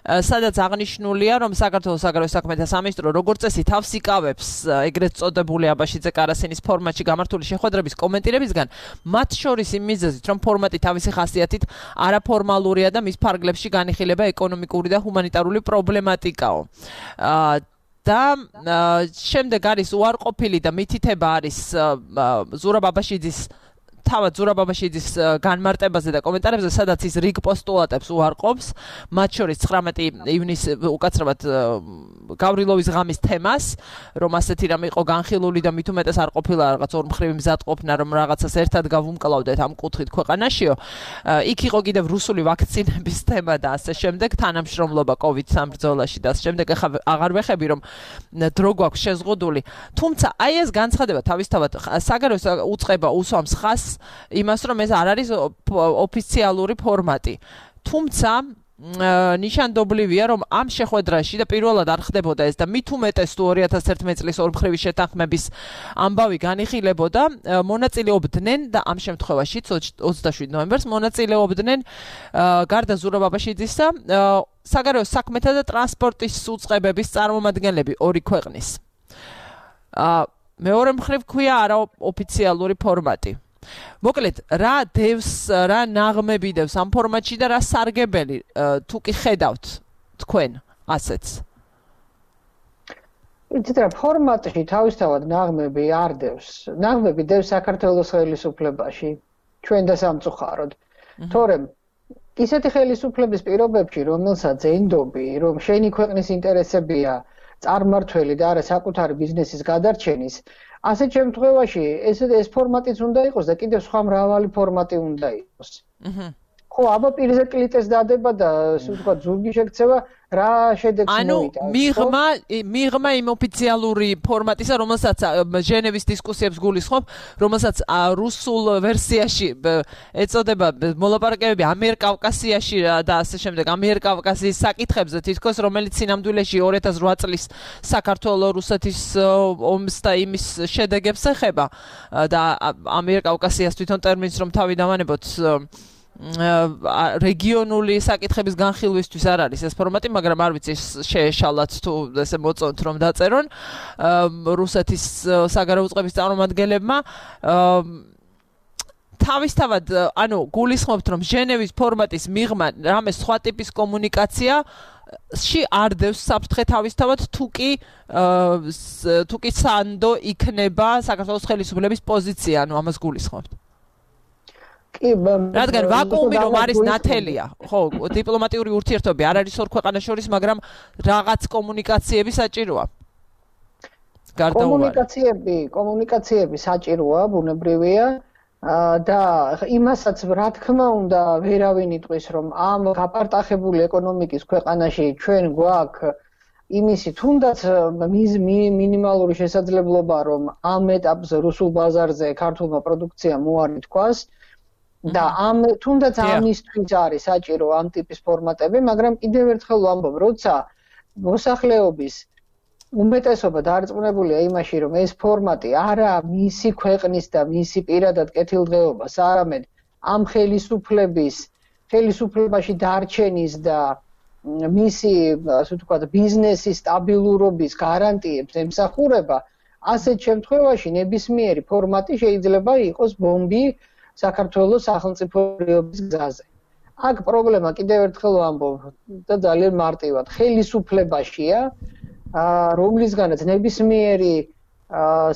სადაც აღნიშნულია, რომ საქართველოს საგარეო საქმეთა სამინისტრო როგორც წესი თავს იკავებს ეგრეთ წოდებული აბაშიძე კარასინის ფორმატში გამართული შეხვედრების კომენტირებისგან, მათ შორის იმ მიზეზით, რომ ფორმატი თავისი ხასიათით არაფორმალურია და მის ფარგლებში განიხილება ეკონომიკური და ჰუმანიტარული პრობლემატიკაო. და შემდეგ არის უარყოფილი და მითითება არის ზურაბ აბაშიძის თავად ზურაბ აბაშიძის განმარტებაზე და კომენტარებზე, სადაც ის რიგ პოსტულატებს უარყოფს, მათ შორის 19 ივნისს უკაცრავად გავრილოვის ღამის თემას, რომ ასეთი რამე იყო განხილული და მით უმეტეს არ ყოფილა რაღაც ორმხრივი მზადყოფნა, რომ რაღაცას ერთად გავუმკლავდეთ ამ კუთხით ქვეყანაშიო. იქ იყო კიდევ რუსული ვაქცინების თემა და ასე შემდეგ, თანამშრომლობა COVID-19 ბრძოლაში და ასე შემდეგ. ეხლა აღარ ვეხები, რომ დრო გვაქვს შეზღუდული. თუმცა აი ეს განცხადება თავისთავად საგარეო უწყება უსვამს ხაზს იმას, რომ ეს არ არის ოფიციალური ფორმატი. თუმცა ნიშანდობლივია, რომ ამ შეხვედრაში და პირველად არ ხდებოდა ეს და მით უმეტეს თუ 2011 წლის ორმხრივი შეთანხმების ამბავი განიხილებოდა, მონაწილეობდნენ და ამ შემთხვევაში 27 ნოემბერს მონაწილეობდნენ გარდა ზურაბ აბაშიძისა საგარეო საქმეთა და ტრანსპორტის უწყებების წარმომადგენლები ორი ქვეყნის. მეორე მხრივ ქვია არაოფიციალური ფორმატი. მოკლედ, რა დევს, რა ნაღმები დევს ამ ფორმატში და რა სარგებელი თუ კი ხედავთ თქვენ ასეთს? იცით რა, ფორმატში თავისთავად ნაღმები არ დევს. ნაღმები დევს საქართველოს ხელისუფლებაში, ჩვენ და სამწუხაროდ. თორემ ისეთი ხელისუფლების პირობებში, რომელსაც ენდობი, რომ შენი ქვეყნის ინტერესებია წარმართველი და არა საკუთარი ბიზნესის გადარჩენის, ასეთ შემთხვევაში ეს ფორმატიც უნდა იყოს და კიდევ სხვა მრავალი ფორმატი უნდა იყოს. ხო, აბა პირზე კლიტეს დადება და ასე ვთქვათ, ზურგი შექცევა რა შედეგს მოიტანს. მიღმა იმ ოფიციალური ფორმატისა, რომელსაც ჟენევის დისკუსიებს გულისხმობ, რომელსაც რუსულ ვერსიაში ეწოდება მოლაპარაკებები ამიერკავკასიაში და ასე შემდეგ, ამიერკავკასიის საკითხებზე თითქოს, რომელიც სინამდვილეში 2008 წლის საქართველოს-რუსეთის ომს და იმის შედეგებს ეხება და ამიერკავკასიას თვითონ ტერმინს რომ თავი დავანებოთ რეგიონული საკითხების განხილვისთვის არ არის ეს ფორმატი, მაგრამ არ ვიცი შეეშალათ თუ ესე მოწონთ რომ დაწერონ რუსეთის საგარეო უწყების წარმომადგენლებმა თავისთავად ანუ გულისხმობთ რომ ჟენევის ფორმატის მიღმა რამე სხვა ტიპის კომუნიკაციაში არ დევს საფრთხე თავისთავად თუკი სანდო იქნება საქართველოს ხელისუფლების პოზიცია ანუ ამას გულისხმობთ რადგან ვაკუუმი რომ არის ნათელია, ხო, დიპლომატიური ურთიერთობები არ არის ორ ქვეყანას შორის, მაგრამ რაღაც კომუნიკაციები საჭიროა. კომუნიკაციები საჭიროა, ბუნებრივია და იმასაც რა თქმა უნდა ვერავინ იტყვის რომ ამ გაპარტახებული ეკონომიკის ქვეყანაში ჩვენ გვაქვს იმისი თუნდაც მინიმალური შესაძლებლობა რომ ამ ეტაპზე რუსულ ბაზარზე ქართულმა პროდუქციამ უარი თქვას და თუნდაც ამისთვის არის საჭირო ამ ტიპის ფორმატები, მაგრამ კიდევ ერთხელ ვამბობ, როცა მოსახლეობის უმეტესობა დარწმუნებულია იმაში, რომ ეს ფორმატი არა მისი ქვეყნის და მისი პირადად კეთილდღეობას, არამედ ამ ხელისუფლებაში დარჩენის და მისი, ასე ვთქვათ, ბიზნესის სტაბილურობის გარანტიებს ემსახურება, ასეთ შემთხვევაში ნებისმიერი ფორმატი შეიძლება იყოს ბომბი საქართველოს სახელმწიფოების გზაზე. აქ პრობლემა კიდევ ერთხელ ვამბობ და ძალიან მარტივად ხელისუფლებაშია, რომლისგანაც ნებისმიერი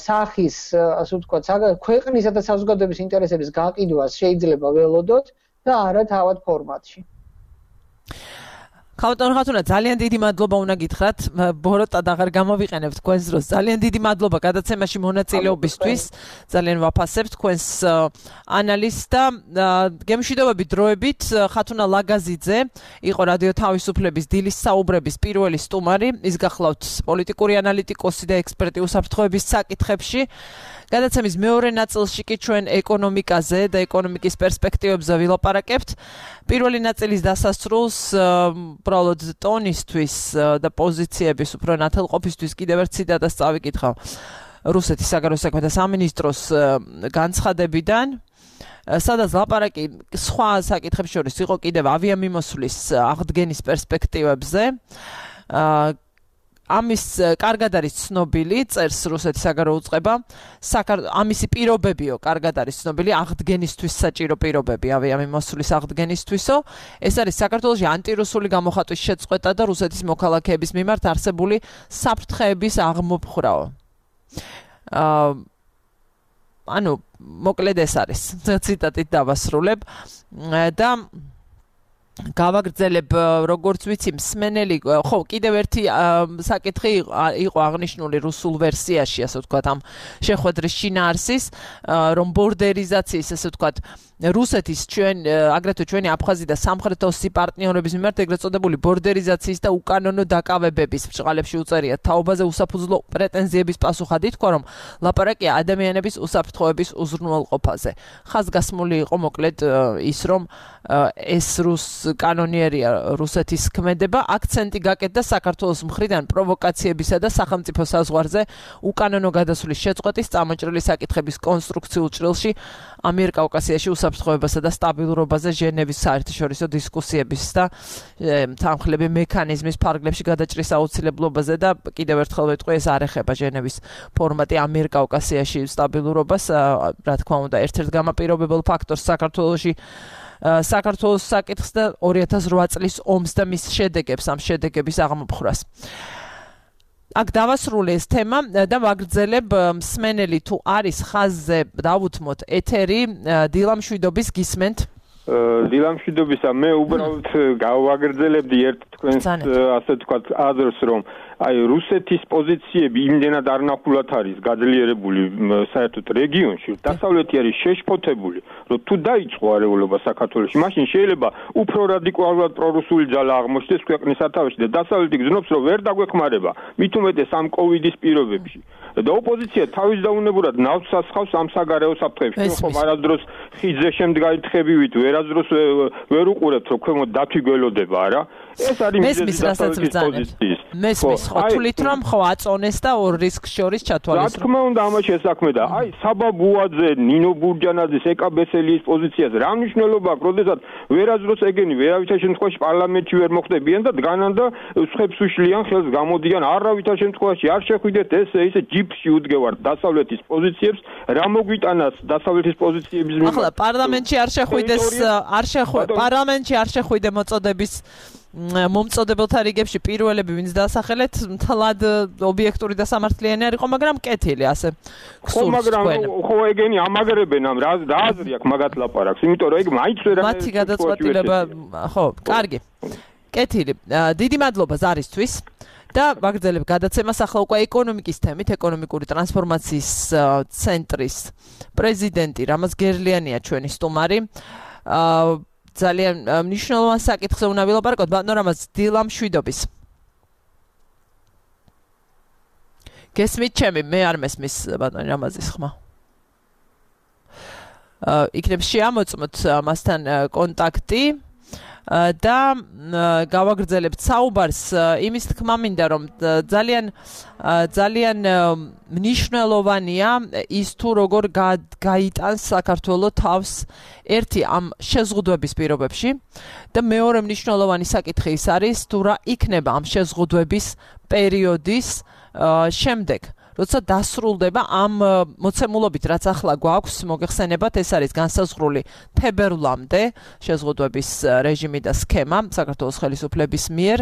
სახის, ასე ვთქვათ, ქვეყნისა და საზოგადოების ინტერესების გაყიდვას შეიძლება ველოდოთ და არა თავად ფორმატში. ქალბატონო ხათუნა, ძალიან დიდი მადლობა უნდა გითხრათ. ბოროტად აღარ გამოვიყენებთ თქვენს დროს. ძალიან დიდი მადლობა გადაცემაში მონაწილეობისთვის. ძალიან ვაფასებთ თქვენს ანალიზს და გემშვიდობები დროებით ხათუნა ლაგაზიძე იყო რადიო თავისუფლების დილის საუბრების პირველი სტუმარი. ის გახლავთ პოლიტიკური ანალიტიკოსი და ექსპერტი უსაფრთხოების საკითხებში. გადაცემის მეორე ნაწილში კი ჩვენ ეკონომიკაზე და ეკონომიკის პერსპექტივებზე ვილაპარაკებთ. პირველი ნაწილის დასასრულს უბრალოდ ტონისთვის და პოზიციების უფრო ნათელყოფისთვის კიდევ ერთ ციტატას წავიკითხავ რუსეთის საგარეო საქმეთა სამინისტროს განცხადებიდან, სადაც ლაპარაკი სხვა საკითხებს შორის იყო კიდევ ავიამიმოსვლის აღდგენის პერსპექტივებზე. ამის კარგად არის ცნობილი, წერს რუსეთის საგარეო უწყება, ამისი პირობებიო კარგად არის ცნობილი, აღდგენისთვის საჭირო პირობები ავიამიმოსვლის აღდგენისთვისო. ეს არის საქართველოში ანტირუსული გამოხატვის შეწყვეტა და რუსეთის მოქალაქეების მიმართ არსებული საფრთხეების აღმოფხვრაო. ანუ მოკლედ ეს არის ციტატით დავასრულებ და გავაგრძელებ როგორც ვიცი მსმენელი ხო კიდევ ერთი საკითხი იყო აღნიშნული რუსულ ვერსიაში ასე ვთქვათ ამ შეხვედრის შინაარსის რომ ბორდერიზაციის ასე ვთქვათ რუსეთის აგრეთვე ჩვენი აფხაზი და სამხრეთ ოსი პარტნიორების მიმართ ეგრეთ წოდებული ბორდერიზაციის და უკანონო დაკავებების ბრჭყალებში უწერიათ თაობაზე უსაფუძვლო პრეტენზიების პასუხად ითქვა რომ ლაპარაკია ადამიანების უსაფრთხოების უზრუნველყოფაზე. ხაზგასმული იყო მოკლედ ის რომ ეს კანონიერია რუსეთის ქმედება, აქცენტი გაკეთდა საქართველოს მხრიდან პროვოკაციებისა და სახელმწიფო საზღვარზე უკანონო გადასვლის შეწყვეტის წამოჭრილი საკითხების კონსტრუქციულ ჭრილში ამიერკავკასიაში უსაფრთხოებასა და სტაბილურობაზე ჟენევის საერთაშორისო დისკუსიების და თანხლები მექანიზმის ფარგლებში გადაჭრის აუცილებლობაზე და კიდევ ერთხელ ვეტყვი ეს არ ეხება ჟენევის ფორმატი ამიერკავკასიაში სტაბილურობას, რა თქმა უნდა, ერთ-ერთ გამაპირობებელ ფაქტორს საქართველოს საკითხს და 2008 წლის ომს და მის შედეგებს, ამ შედეგების აღმოფხვრას. აქ დავასრულე ეს თემა და ვაგრძელებ მსმენელი თუ არის ხაზზე დავუთმოთ ეთერი დილამშვიდობის გისმენთ. დილამშვიდობისა მე უბრალოდ გავაგრძელებდი ერთ თქვენს ასე ვთქვათ აზრს რომ აი რუსეთის პოზიციები იმდენად არნახულად არის გაძლიერებული საერთოდ რეგიონში, დასავლეთი არის შეშფოთებული, რომ თუ დაიწყო არეულობა საქართველოში, მაშინ შეიძლება უფრო რადიკალურად პრორუსული ძალა აღმოჩნდეს ქვეყნის სათავეში და დასავლეთი გზნობს, რომ ვერ დაგვეხმარება, მით უმეტეს ამ კოვიდის პირობებში. და ოპოზიცია თავის დაუნებურად ნავს ასხავს ამ საგარეო საფრთხეებში. ხომ არასდროს ხიძზე შემდგარი თხებივით, ვერასდროს ვერ უყურებთ, რომ ქვემოთ დათვი გველოდება, არა? ეს არის მესმის რასაც ბრძანებთ. მესმის ხო თulit რომ ხო აწონეს და ორ რისკს შორის ჩათვალისწინებს. რა თქმა უნდა ამას შესაქმე და აი საბაბუაძე, ნინო ბურჯანაძის, ეკა ბესელის პოზიციაზე რა მნიშვნელობა აქვს, როდესაც ვერაზროს ეგენი ვერავითარ შემთხვევაში პარლამენტში ვერ მოხდებიან და დგანან და სხვებს უშლიან ხელს გამოდიან არავითარ შემთხვევაში არ შეხვიდეთ ესე ჯიპში უდგევართ დასავლეთის პოზიციებს რა მოგვიტანას დასავლეთის პოზიციების ახლა პარლამენტში არ შეხვიდეს პარლამენტში არ შეხვიდე მოწოდების მომწოდებელთა რიგებში პირველები ვინც დასახელეთ მთლად ობიექტური და სამართლიანი არ იყო მაგრამ კეთილი ასე ხო მაგრამ ხო ეგენი ამაგრებენ ამ რა აზრი აქვს მაგათ ლაპარაკს იმიტომ რომ ეგ მაინც ვერ მათი გადაწყვეტილება ხო კარგი კეთილი დიდი მადლობა ზარისთვის და ვაგრძელებ გადაცემას ახლა უკვე ეკონომიკის თემით ეკონომიკური ტრანსფორმაციის ცენტრის პრეზიდენტი რამაზ გერლიანია ჩვენი სტუმარი ძალიან მნიშვნელოვან საკითხზე უნდა ვილაპარაკოთ ბატონო რამაზ დილა მშვიდობის გესმით ჩემი მე არ მესმის ბატონი რამაზის ხმა იქნებ შეამოწმოთ მასთან კონტაქტი და გავაგრძელებთ საუბარს იმის თქმა მინდა რომ ძალიან მნიშვნელოვანია ის თუ როგორ გაიტანს საქართველოს თავს ერთი ამ შეზღუდვების პირობებში და მეორე მნიშვნელოვანი საკითხი ის არის თუ რა იქნება ამ შეზღუდვების პერიოდის შემდეგ როცა დასრულდება ამ მოცემულობით რაც ახლა გვაქვს მოგეხსენებათ ეს არის განსაზღვრული თებერვლამდე შეზღუდვების რეჟიმი და სქემა საქართველოს ხელისუფლების მიერ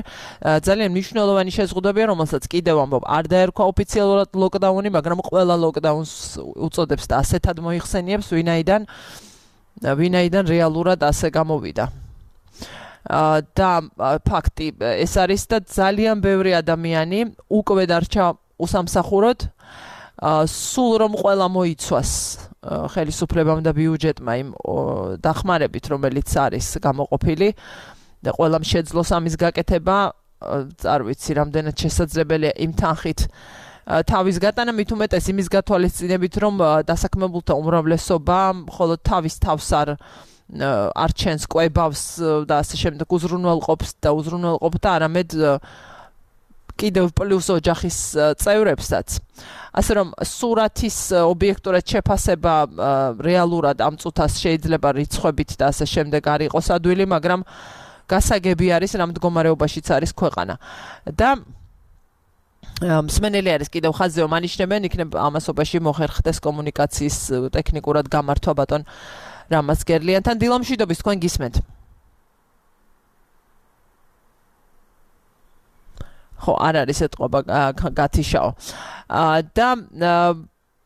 ძალიან მნიშვნელოვანი შეზღუდვებია რომელსაც კიდევ ამბობ არ დაერქვა ოფიციალურად ლოკდაუნი მაგრამ ყველა ლოკდაუნს უწოდებს და ასეთად მოიხსენიებს ვინაიდან რეალურად ასე გამოვიდა და ფაქტი ეს არის და ძალიან ბევრი ადამიანი უკვე დარჩა უსამსახუროდ სულ რომ ყველა მოიცვას ხელისუფლებამ და ბიუჯეტმა იმ დახმარებით რომელიც არის გამოყოფილი და ყველამ შეძლოს ამის გაკეთება არ ვიცი რამდენად შესაძლებელია იმ თანხით თავის გატანა მით უმეტეს იმის გათვალისწინებით რომ დასაქმებულთა უმრავლესობა მხოლოდ თავის თავს არ ჩენს კვებავს და ასე შემდეგ უზრუნველყოფს და უზრუნველყოფდა არამედ კიდევ პლუს ოჯახის წევრებსაც. ასე რომ სურათის ობიექტურად შეფასება რეალურად ამ წუთას შეიძლება რიცხვებით და ასე შემდეგ არ იყოს ადვილი, მაგრამ გასაგები არის რა მდგომარეობაშიც არის ქვეყანა. და მსმენელი არის კიდევ ხაზზე მანიშნებენ, იქნებ ამასობაში მოხერხდეს კომუნიკაციის ტექნიკურად გამართვა ბატონ რამაზ გერლიანთან. დილა მშვიდობის თქვენ გისმენთ. ხო არ არის ეთყობა გათიშაო და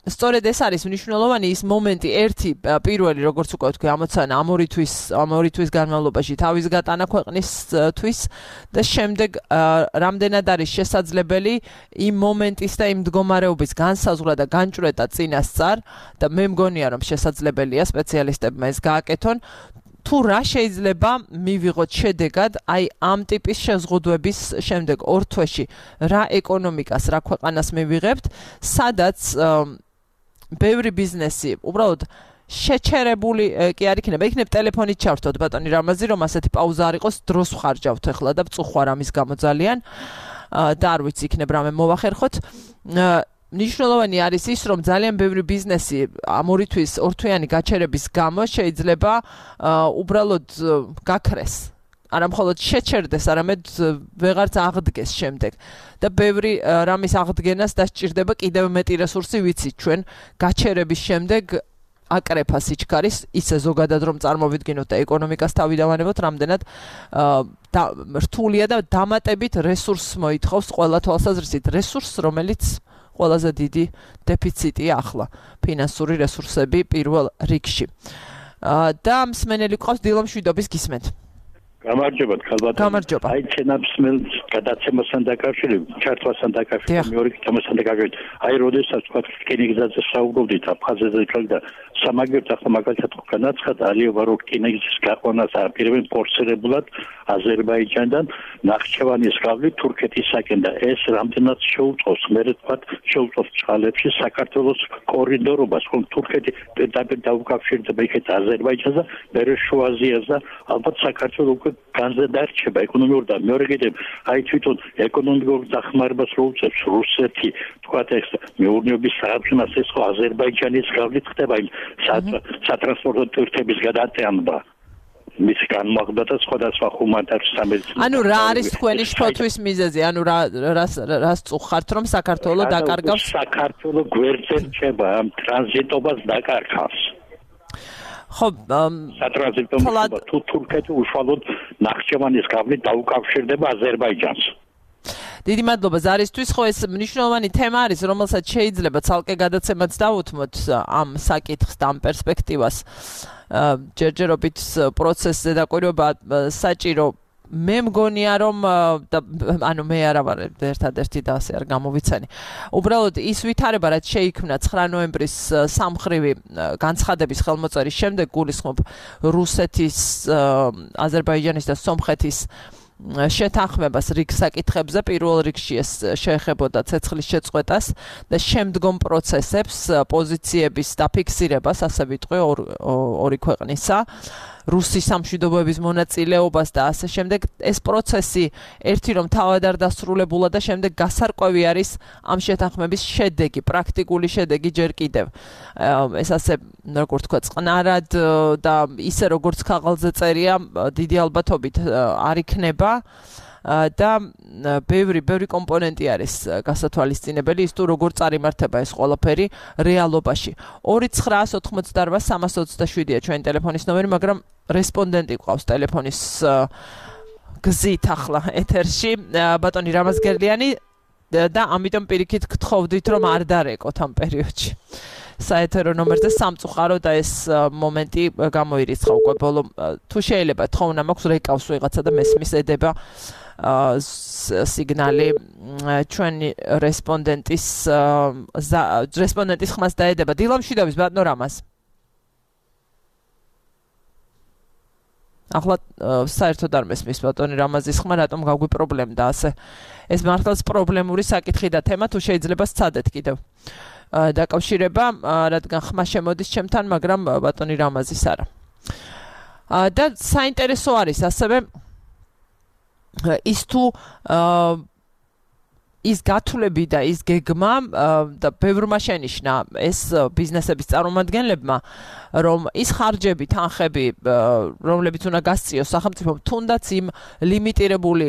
სწორედ ეს არის მნიშვნელოვანი ის მომენტი ერთი პირველი როგორც უკვე ვთქვი ამოცანა ამ ორი თვის განმავლობაში თავის გატანა ქვეყნისთვის და შემდეგ რამდენად არის შესაძლებელი იმ მომენტის და იმ მდგომარეობის განსაზღვრა და განჭვრეტა წინასწარ და მე მგონია რომ შესაძლებელია სპეციალისტებმა ეს გააკეთონ თუ რა შეიძლება მივიღოთ შედეგად აი ამ ტიპის შეზღუდვების შემდეგ ორ თვეში რა ეკონომიკას რა ქვეყანას მივიღებთ სადაც ბევრი ბიზნესი უბრალოდ შეჩერებული კი არ იქნება იქნებ ტელეფონით ჩავრთოთ ბატონი რამაზი რომ ასეთი პაუზა არ იყოს დროს ვხარჯავთ ახლა და წუხვარ ამის გამო ძალიან და არ ვიცი იქნებ რამე მოვახერხოთ მნიშვნელოვანი არის ის, რომ ძალიან ბევრი ბიზნესი ამ ორი თვის ორთვიანი გაჩერების გამო შეიძლება უბრალოდ გაქრეს. არა მხოლოდ შეჩერდეს, არამედ ვეღარც აღდგეს შემდეგ. და ბევრი რამის აღდგენას დასჭირდება კიდევ მეტი რესურსი, ვიცით ჩვენ გაჩერების შემდეგ აკრეფა სიჩქარის, ისე ზოგადად რომ წარმოვიდგინოთ და ეკონომიკას თავიდანვანებოთ, რამდენად რთულია და დამატებით რესურსს მოითხოვს ყველა თვალსაზრისით. რესურსს, რომელიც ყველაზე დიდი დეფიციტია ახლა ფინანსური რესურსები პირველ რიგში. და მსმენელი ყავს დილა მშვიდობის გისმენთ. გამარჯობა ქალბატონო. გამარჯობა. აი ჩენაფსმელს გადაცემასთან დაკავშირებით, ჩართვასთან დაკავშირებით, მეორე თემასთან დაკავშირებით. აი როდესაც თქვა რკინიგზაზე საუბრობდით აფხაზეთზე და სამაგერთ ახლა მაგალითად განაცხადა ალიევა რომ რკინიგზის გაყვანას აპირებენ ფორსირებულად აზერბაიჯანიდან ნახჩევანის გავლით თურქეთისაკენ და ეს რამდენად შეუწყობს მე თქვა შეუწყობს წყალებში საქართველოს კორიდორობას ხომ თურქეთი პირდაპირ დაუკავშირდება იქეთ აზერბაიჯანს და მერე შუა აზიას და ალბათ საქართველოს უკვე განზე დარჩება ეკონომიკური და მეორე კიდევ აი თვითონ ეკონომიკურ დახმარებას რო უწევს რუსეთი თქვათ ეს მეურნეობის საქმეს ეს ხო აზერბაიჯანის გავლით ხდება იმ სატრანსპორტო ტვირთების გადატანება მის განმაღლა და სხვადასხვა ჰუმანიტარულ სამედიცინო ანუ რა არის თქვენი შფოთვის მიზეზი ანუ რას წუხართ რომ საქართველოს დაკარგავს საქართველოს გვერდზე რჩება ამ ტრანზიტობას დაკარგავს ხო სატრანზიტო თუ თურქეთი უშუალოდ ნახჭევანის გავლით დაუკავშირდება აზერბაიჯანს დიდი მადლობა ზარისთვის ხო ეს მნიშვნელოვანი თემა არის რომელსაც შეიძლება ცალკე გადაცემაც დავუთმოთ ამ საკითხს და ამ პერსპექტივას ჯერჯერობით პროცესზე დაკვირვება საჭირო მე მგონია რომ ანუ მე არა ვარ ერთადერთი და ასე არ გამოვიცანი უბრალოდ ის ვითარება რაც შეიქმნა 9 ნოემბრის სამხრივი განცხადების ხელმოწერის შემდეგ გულისხმობ რუსეთის აზერბაიჯანის და სომხეთის შეთანხმებას რიგ საკითხებზე პირველ რიგში ეს შეეხებოდა ცეცხლის შეწყვეტას და შემდგომ პროცესებს პოზიციების დაფიქსირებას ასე ვიტყვი ორი ქვეყნისა რუსის სამშვიდობოების მონაწილეობას და ასე შემდეგ ეს პროცესი ერთი რომ თავად არ დასრულებულა და შემდეგ გასარკვევი არის ამ შეთანხმების შედეგი პრაქტიკული შედეგი ჯერ კიდევ ეს ასე როგორ თქვა წყნარად და ისე როგორც ქაღალდზე წერია დიდი ალბათობით არ იქნება და ბევრი კომპონენტი არის გასათვალისწინებელი ის თუ როგორ წარიმართება ეს ყველაფერი რეალობაში 2988327-ია ჩვენი ტელეფონის ნომერი მაგრამ რესპონდენტი ყავს ტელეფონის გზით ახლა ეთერში ბატონი რამაზგერლიანი და ამიტომ პირიქით გთხოვდით რომ არ დარეკოთ ამ პერიოდში საეთერო ნომერზე სამწუხარო და ეს მომენტი გამოირიცხა უკვე ბოლო თუ შეიძლება თხოვნა მაქვს რეკავს ვიღაცა და მესმის ედება სიგნალი ჩვენი რესპონდენტის ხმას დაედება დილამშვიდობის ბატონო რამაზ ახლა საერთოდ არ მესმის ბატონი რამაზის ხმა რატომ გაგვიპრობლემდა ასე ეს მართლაც პრობლემური საკითხი და თემა თუ შეიძლება სცადეთ კიდევ დაკავშირება რადგან ხმა შემოდის ჩემთან მაგრამ ბატონი რამაზის არა და საინტერესო არის ასევე ის თუ ის გათვლები და ის გეგმა და ბევრმა შენიშნა ეს ბიზნესების წარმომადგენლებმა რომ ის ხარჯები თანხები რომლებიც უნდა გასწიოს სახელმწიფომ თუნდაც იმ ლიმიტირებული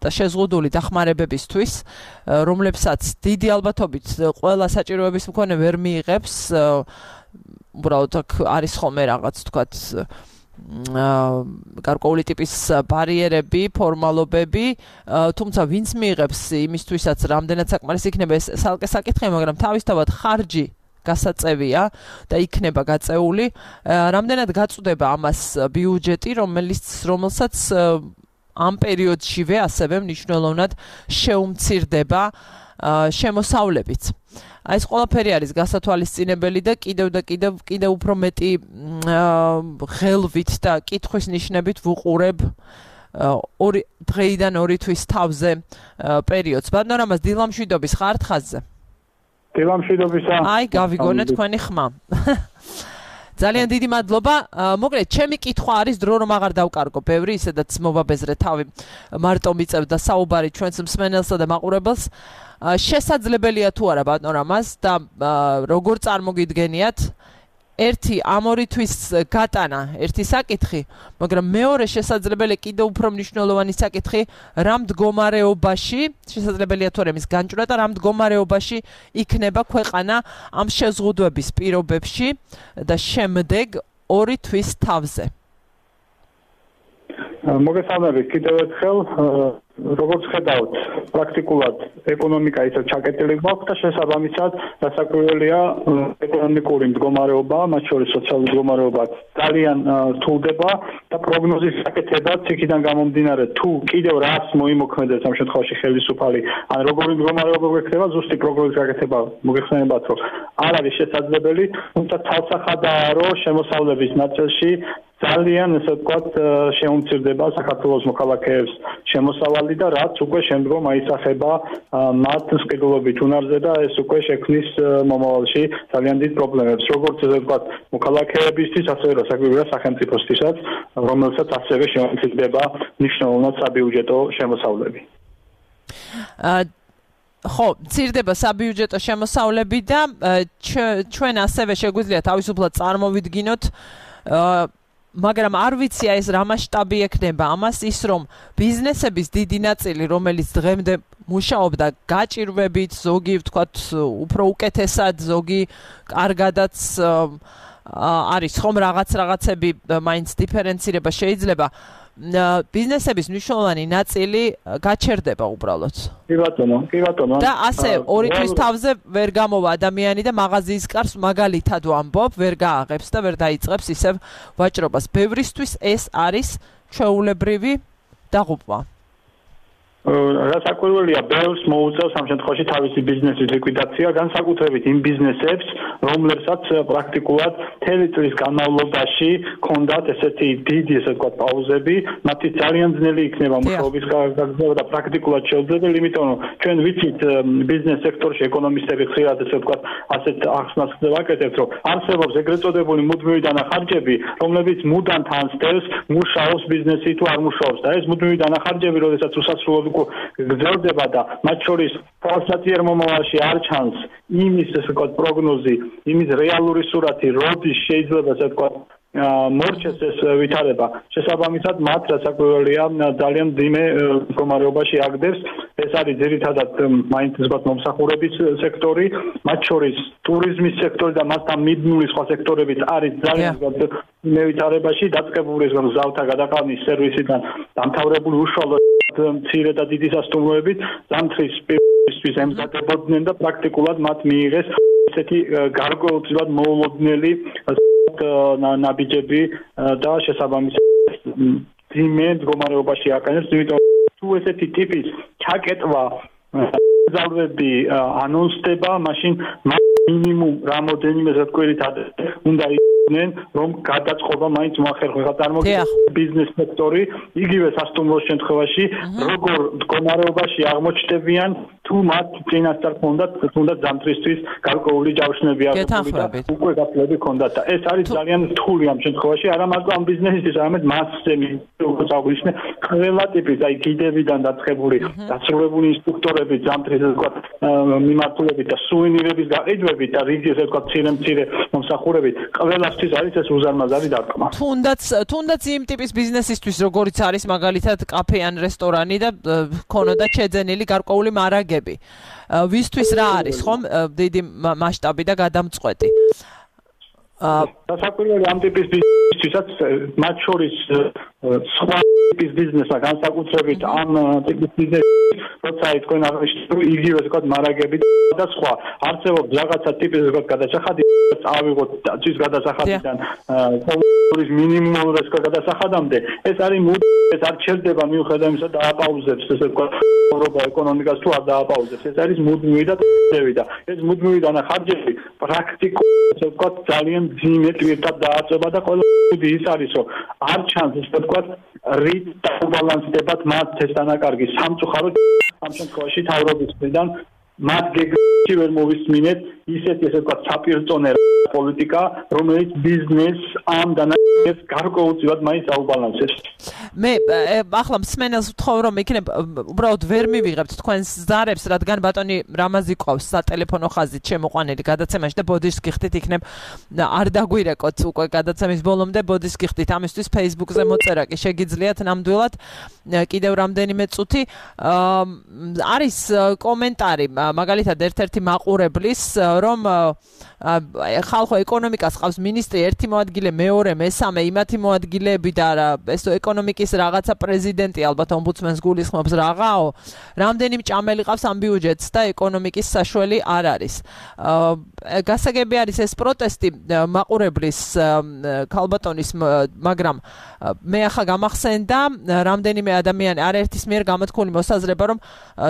და შეზღუდული დახმარებებისთვის რომლებსაც დიდი ალბათობით ყველა საჭიროების მქონე ვერ მიიღებს უბრალოდ არის ხოლმე რაღაც თქვათ გარკვეული ტიპის ბარიერები, ფორმალობები, თუმცა ვინც მიიღებს იმისთვისაც რამდენად საკმარისი იქნება ეს სალკე საკითხი, მაგრამ თავისთავად ხარჯი გასაწევია და იქნება გაწეული, რამდენად გაწვდება ამას ბიუჯეტი, რომელსაც ამ პერიოდშივე ასევე მნიშვნელოვნად შეუმცირდება შემოსავლებიც. აი ეს ყველაფერი არის გასათვალისწინებელი და კიდევ უფრო მეტი ღელვით და კითხვის ნიშნებით ვუყურებ დღეიდან 2 თვის თავზე პერიოდს. ბატონო რამაზ დილამშვიდობის ხართ ხაზზე? დილამშვიდობისა. აი გავიგონე თქვენი ხმა. ძალიან დიდი მადლობა. მოკლედ, ჩემი კითხვა არის დრო რომ აღარ დავკარგო ბევრი, ისედაც მოვაბეზრე თავი მარტო მიწევდა საუბარი ჩვენს მსმენელსა და მაყურებელს. შესაძლებელია თუ არა ბატონო რამაზ და როგორ წარმოგიდგენიათ ერთი ამ 2 თვის გატანა ერთი საკითხი, მაგრამ მეორე შესაძლებელი კიდევ უფრო მნიშვნელოვანი საკითხი რა მდგომარეობაში შესაძლებელია თუ არა მის განჭვრა და რა მდგომარეობაში იქნება ქვეყანა ამ შეზღუდვების პირობებში და შემდეგ 2 თვის თავზე. მოგესალმებით კიდევ ერთხელ როგორც ხედავთ პრაქტიკულად ეკონომიკა ისე ჩაკეტილი გვაქვს და შესაბამისად დასაკვირველია ეკონომიკური მდგომარეობა, მათ შორის სოციალური მდგომარეობა ძალიან რთულდება და პროგნოზის საკეთებაც იქიდან გამომდინარე თუ კიდევ რას მოიმოქმედებს ამ შემთხვევაში ხელისუფალი ან როგორი მდგომარეობა გვექნება ზუსტი პროგნოზის საკეთება მოგეხსენებათ რომ არ არის შესაძლებელი, თუმცა თავსახადაა რომ შემოსავლების ნაწილში ძალიან ესე ვთქვათ შეუმცირდება საქართველოს მოქალაქეებს შემოსავალი ხალხი და რაც უკვე შემდგომ აისახება მათ სყიდულობით უნარზე და ეს უკვე შექმნის მომავალში ძალიან დიდ პრობლემებს, როგორც ესე ვთქვათ, მოქალაქეებისთვის, ასევე რასაკვირველია სახელმწიფოსთვისაც, რომელსაც ასევე შეუმცირდება მნიშვნელოვნად საბიუჯეტო შემოსავლები. ხო, მცირდება საბიუჯეტო შემოსავლები და ჩვენ ასევე შეგვიძლია თავისუფლად წარმოვიდგინოთ მაგრამ არ ვიცი ეს რა მასშტაბი ექნება ამას ის რომ ბიზნესების დიდი ნაწილი რომელიც დღემდე მუშაობდა გაჭირვებით ზოგი ვთქვათ უფრო უკეთესად ზოგი კარგადაც არის ხომ რაღაცები მაინც დიფერენცირება შეიძლება ბიზნესების მნიშვნელოვანი ნაწილი გაჩერდება უბრალოდ. კი ბატონო. და ასე ორი თვის თავზე ვერ გამოვა ადამიანი და მაღაზიის კარს მაგალითად ვამბობ, ვერ გააღებს და ვერ დაიწყებს ისევ ვაჭრობას. ბევრისთვის ეს არის ჩვეულებრივი დაღუპვა. რასაკვირველია, ბევრს მოუწევს ამ შემთხვევაში თავისი ბიზნესის ლიკვიდაცია, განსაკუთრებით იმ ბიზნესებს, რომლებსაც პრაქტიკულად მთელი წლის განმავლობაში ჰქონდათ ესეთი დიდი, ესე ვთქვათ, პაუზები, მათი ძალიან ძნელი იქნება მუშაობის გაგრძელება და პრაქტიკულად შეუძლებელი, იმიტომ რომ ჩვენ ვიცით ბიზნეს სექტორში ეკონომისტები ხშირად ესე ვთქვათ, ასეთ ახსნას ვაკეთებთ, რომ არსებობს ეგრეთ წოდებული მუდმივი დანახარჯები, რომლებიც მუდამ თანსდევს მუშაობს ბიზნესი თუ არ მუშაობს და ეს მუდმივი დანახარჯები, როდესაც უსასრულოდ გრძელდება და მათ შორის თვალსაჩინო მომავალში არ ჩანს იმის ესე ვთქვათ პროგნოზი, იმის რეალური სურათი, როდის შეიძლება ესე ვთქვათ მორჩეს ეს ვითარება. შესაბამისად მათ რასაკვირველია ძალიან ძიმე მდგომარეობაში აგდებს. ეს არის ძირითადად მაინც ვთქვათ მომსახურების სექტორი, მათ შორის ტურიზმის სექტორი და მასთან მიბმული სხვა სექტორებიც არის ძალიან ძიმე ვითარებაში, დაწყებული ზავთა გადაყალნის სერვისიდან დამთავრებული უშუალოდ მცირე და დიდი სასტუმროებით ზამთრის პირისთვის ემზადებოდნენ და პრაქტიკულად მათ მიიღეს ესეთი გარკვეულწილად მოულოდნელი ნაბიჯები და შესაბამისად ძიმე მდგომარეობაში აყენებს, იმიტომ თუ ესეთი ტიპის ჩაკეტვა ზალვები ანონსდება, მაშინ მინიმუმ რამოდენიმე ზეთკვირით უნდა იყვნენ, რომ გადაწყობა მაინც მოახერხება წარმოგიდგენთ ბიზნეს სექტორი, იგივე სასტუმროს შემთხვევაში, როგორ მდგომარეობაში აღმოჩნდებიან, თუ მათ წინასწარ ჰქონდათ ზამთრისთვის გარკვეული ჯავშნები აღებული და უკვე გაფლები ჰქონდათ და ეს არის ძალიან რთული ამ შემთხვევაში, არა მარტო ამ ბიზნესისთვის, არამედ მასზე უკვე წაგვიშნე ყველა ტიპის, აი გიდებიდან დაწყებული, დასრულებული ინსტრუქტორები, ზამთრის ვთქვათ მიმართულებით და სუვენირების გაყიდვებით და რიგი ესე ვთქვათ მცირე მომსახურებით, ყველასთვის არის ეს უზარმაზარი დარტყმა. თუნდაც იმ ტიპის ბიზნესისთვის, როგორიც არის მაგალითად კაფე ან რესტორანი და ქონოდა შეძენილი გარკვეული მარაგები. ვისთვის რა არის, ხომ, დიდი მასშტაბი და გადამწყვეტი. დასაკვირველი ამ ტიპის ბიზნესთვისაც მათ შორის სხვა ტიპის ბიზნესა განსაკუთრებით ამ ტიპის ბიზნესი, როცა თქვენ აღნიშნეთ, იგივე ვთქვათ მარაგები და სხვა არსებობს რაღაცა ტიპის ვთქვათ გადასახადი, წავიღოთ წვის გადასახადიდან ყოველის მინიმუმურ გადასახადამდე, ეს არის ეს არ ჩერდება მიუხედავად იმისა დააპაუზებს ესე ვთქვათ ევროპა ეკონომიკას თუ არ დააპაუზებს, ეს არის მუდმივი და წევი და ეს მუდმივი დანახარჯები პრაქტიკულად ესე ვთქვათ ძალიან ძიმე ტვირთად დააწება და ყველა ის არის რომ არ ჩანს ესე ვთქვათ რით დაუბალანსდებათ მათ ეს დანაკარგი სამწუხაროდ ამ შემთხვევაში თავრობის მხრიდან მათ გეგმაში ვერ მოვისმინეთ ისეთი ესე ვთქვათ საპირწონე პოლიტიკა, რომელიც ბიზნეს ამ დანაკარგებს გარკვეულწილად მაინც აუბალანსებს. მე ახლა მსმენელს ვთხოვ რომ იქნებ უბრალოდ ვერ მივიღებთ თქვენს ზარებს, რადგან ბატონი რამაზი ყავს სატელეფონო ხაზით შემოყვანილი გადაცემაში და ბოდიშს გიხდით იქნებ არ დაგვირეკოთ უკვე გადაცემის ბოლომდე ბოდიშს გიხდით ამისთვის Facebook-ზე მოწერა კი შეგიძლიათ ნამდვილად კიდევ რამდენიმე წუთი არის კომენტარი მაგალითად ერთ-ერთი მაყურებლის რომ ხალხო ეკონომიკას ყავს მინისტრი ერთი მოადგილე მეორე მესამე იმათი მოადგილეები და ეს ეკონომიკის რაღაცა პრეზიდენტი ალბათ ომბუდსმენს გულისხმობს რაღაცაო რამდენი მჭამელი ყავს ამ ბიუჯეტს და ეკონომიკის საშველი არ არის გასაგები არის ეს პროტესტი მაყურებლის ქალბატონის მაგრამ მე ახლა გამახსენდა რამდენიმე ადამიანი არაერთის მიერ გამოთქმული მოსაზრება რომ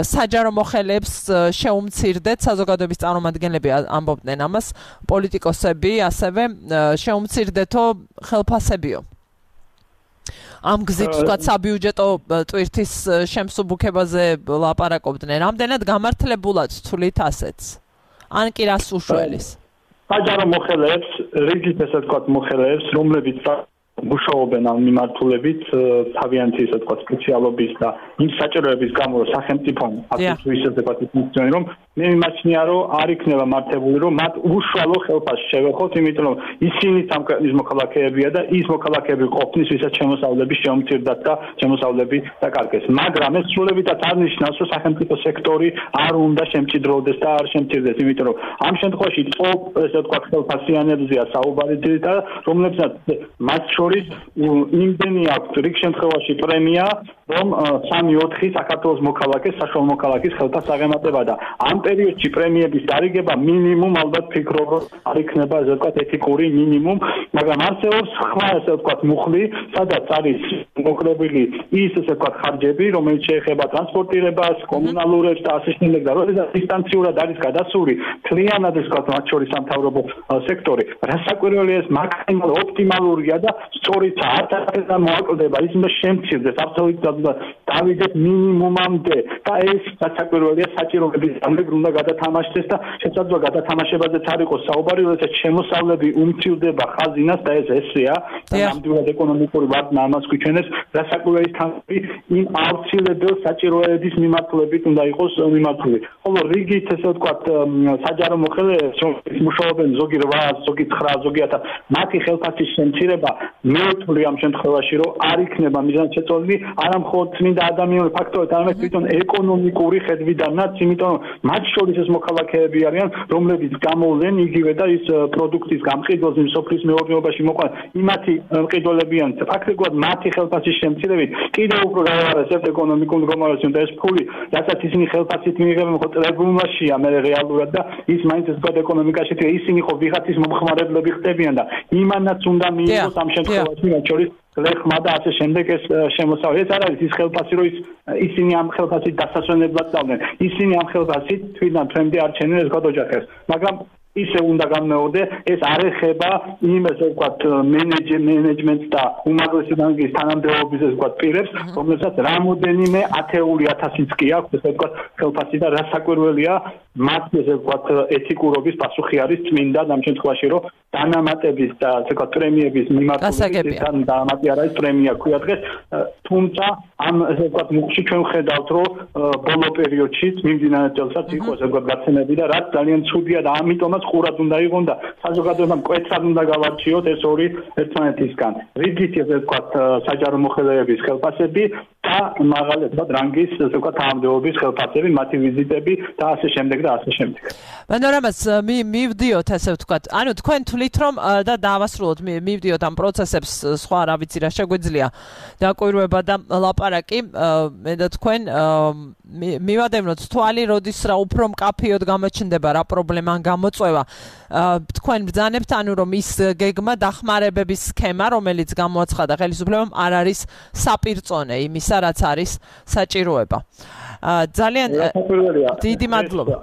საჯარო მოხელეებს შეუმცირდეთ საზოგადოების წარმომადგენლები ამბობდნენ ამას პოლიტიკოსები ასევე შეუმცირდეთო ხელფასებიო ამ გზით ვთქვათ საბიუჯეტო ტვირთის შემსუბუქებაზე ლაპარაკობდნენ. რამდენად გამართლებულად თვლით ასეთს? ან კი რას უშველის? საჯარო მოხელეებს, რიგით ესე ვთქვათ მოხელეებს, რომლებიც მუშაობენ ამ მიმართულებით თავიანთი ესე ვთქვათ სპეციალობის და იმ საჭიროების გამო სახელმწიფომ აქტიურად ისე ვთქვათ ფუნქციონირებს, რომ მე მიმაჩნია რომ არ იქნება მართებული რომ მათ უშუალო ხელფასში შევეხოთ, იმიტომ რომ ისინი ამ ქვეყნის მოქალაქეებია და ის მოქალაქეები ყოფნის, ვისაც შემოსავლები შეუმცირდათ და შემოსავლები დაკარგეს. მაგრამ ეს სრულებითად არ ნიშნავს, რომ სახელმწიფო სექტორი არ უნდა შემჭიდროვდეს და არ შემცირდეს, იმიტომ რომ ამ შემთხვევაში ესე ვთქვათ ხელფასიანებზეა საუბარი და რომლებსაც მათ შორის იმდენი აქვს რიგ შემთხვევაში პრემია, რომ 3-4 საქართველოს მოქალაქეს საშუალო მოქალაქის ხელფასს აღემატება და ამ პერიოდში პრემიების დარიგება მინიმუმ ალბათ ფიქრობ რომ არ იქნება ესე ვთქვათ ეთიკური მინიმუმ, მაგრამ არსებობს სხვა ესე ვთქვათ მუხლი, სადაც არის მოკრებილი ის ესე ვთქვათ ხარჯები, რომელიც შეეხება ტრანსპორტირებას, კომუნალურებს და ასე შემდეგ და როდესაც დისტანციურად არის გადასული მთლიანად ესე ვთქვათ მათ შორის სამთავრობო სექტორი, რასაკვირველია ეს მაქსიმალ ოპტიმალურია და სწორიც არ მოაკლდება ის უნდა შემცირდეს აბსოლუტურად დავიდეს მინიმუმამდე და ეს რასაკვირველია საჭიროების ამბები უნდა გადათამაშდეს და შესაძლოა გადათამაშებაზეც არ იყოს საუბარი, როდესაც შემოსავლები უმცირდება ხაზინას და ეს ესეა და ნამდვილად ეკონომიკური ვარდნა ამას გვიჩვენებს, რასაკვირველია თანხები იმ აუცილებელ საჭიროების მიმართულებით უნდა იყოს მიმართული. ხოლო რიგით ესე ვთქვათ საჯარო მოხელეებს მუშაობენ ზოგი 8, ზოგი 9, ზოგი 1000 მათი ხელფასის შემცირება მე ვთვლი ამ შემთხვევაში რომ არ იქნება მიზანშეწონილი არა მხოლოდ წმინდა ადამიანური ფაქტორით, არამედ თვითონ ეკონომიკური ხედვიდანაც, იმიტომ რომ მათ შორის ეს მოქალაქეები არიან, რომლებიც გამოვლენ იგივე და ის პროდუქტის გამყიდველს იმ სოფლის მეურნეობაში მოყვან იმათი მყიდველებიან ფაქტობრივად მათი ხელფასის შემცირებით კიდევ უფრო გავარესებთ ეკონომიკურ მდგომარეობას და ეს ფული, რასაც ისინი ხელფასით მიიღებენ, ხო ტრებულმაშია მე რეალურად და ის მაინც ეს ეკონომიკაში ისინი ხო ვიღაცის მომხმარებლები ხდებიან და იმანაც უნდა მიიღოს ამ შემთხვევაში მათ შორის ლეხმა და ასე შემდეგ ეს შემოსავალი. ეს არ არის ის ხელფასი, რომ ისინი ამ ხელფასით დასასვენებლად წავდნენ. ისინი ამ ხელფასით თვითონ ფრენდი არჩენენ ეს გადოჯახეს. მაგრამ ისე უნდა განმეორდე, ეს არ ეხება იმ ესე ვთქვათ მენეჯმენტს და უმაღლესი რანგის თანამდებობის ესე ვთქვათ პირებს, რომელსაც რამოდენიმე ათეული ათასიც კი აქვს ესე ვთქვათ ხელფასი და რასაკვირველია მათ ესე ვთქვათ ეთიკურობის პასუხი არის წმინდა ამ შემთხვევაში, რომ დანამატების და ესე ვთქვათ პრემიების მიმართულებით დანამატი არ არის პრემია ქვია დღეს, თუმცა ამ ესე ვთქვათ მუხში ჩვენ ვხედავთ, რომ ბოლო პერიოდში მიმდინარე წელსაც იყო ესე ვთქვათ გაცემები და რაც ძალიან ცუდია და ამიტომაც ყურად უნდა იყონ და საზოგადოებამ მკვეთრად უნდა გავარჩიოთ ეს ორი ერთმანეთისგან. რიგით ესე ვთქვათ საჯარო მოხელეების ხელფასები და მაღალი ესე ვთქვათ რანგის ესე ვთქვათ თანამდებობის ხელფასები, მათი ვიზიტები და ასე შემდეგ და ასე შემდეგ. მანორამას მივდიოთ ასე ვთქვათ. ანუ თქვენ თვლით რომ და დავასრულოთ მივდიოთ ამ პროცესებს სხვა რა ვიცი რა შეგვიძლია დაკვირვება და ლაპარაკი მე და თქვენ მივადევნოთ თვალი, როდის რა უფრო მკაფიოდ გამოჩნდება რა პრობლემა გამოწვევა. თქვენ ბრძანებთ ანუ რომ ის გეგმა დახმარებების სქემა, რომელიც გამოაცხადა ხელისუფლებამ არ არის საპირწონე იმისა, რაც არის საჭიროება. ძალიან დიდი მადლობა.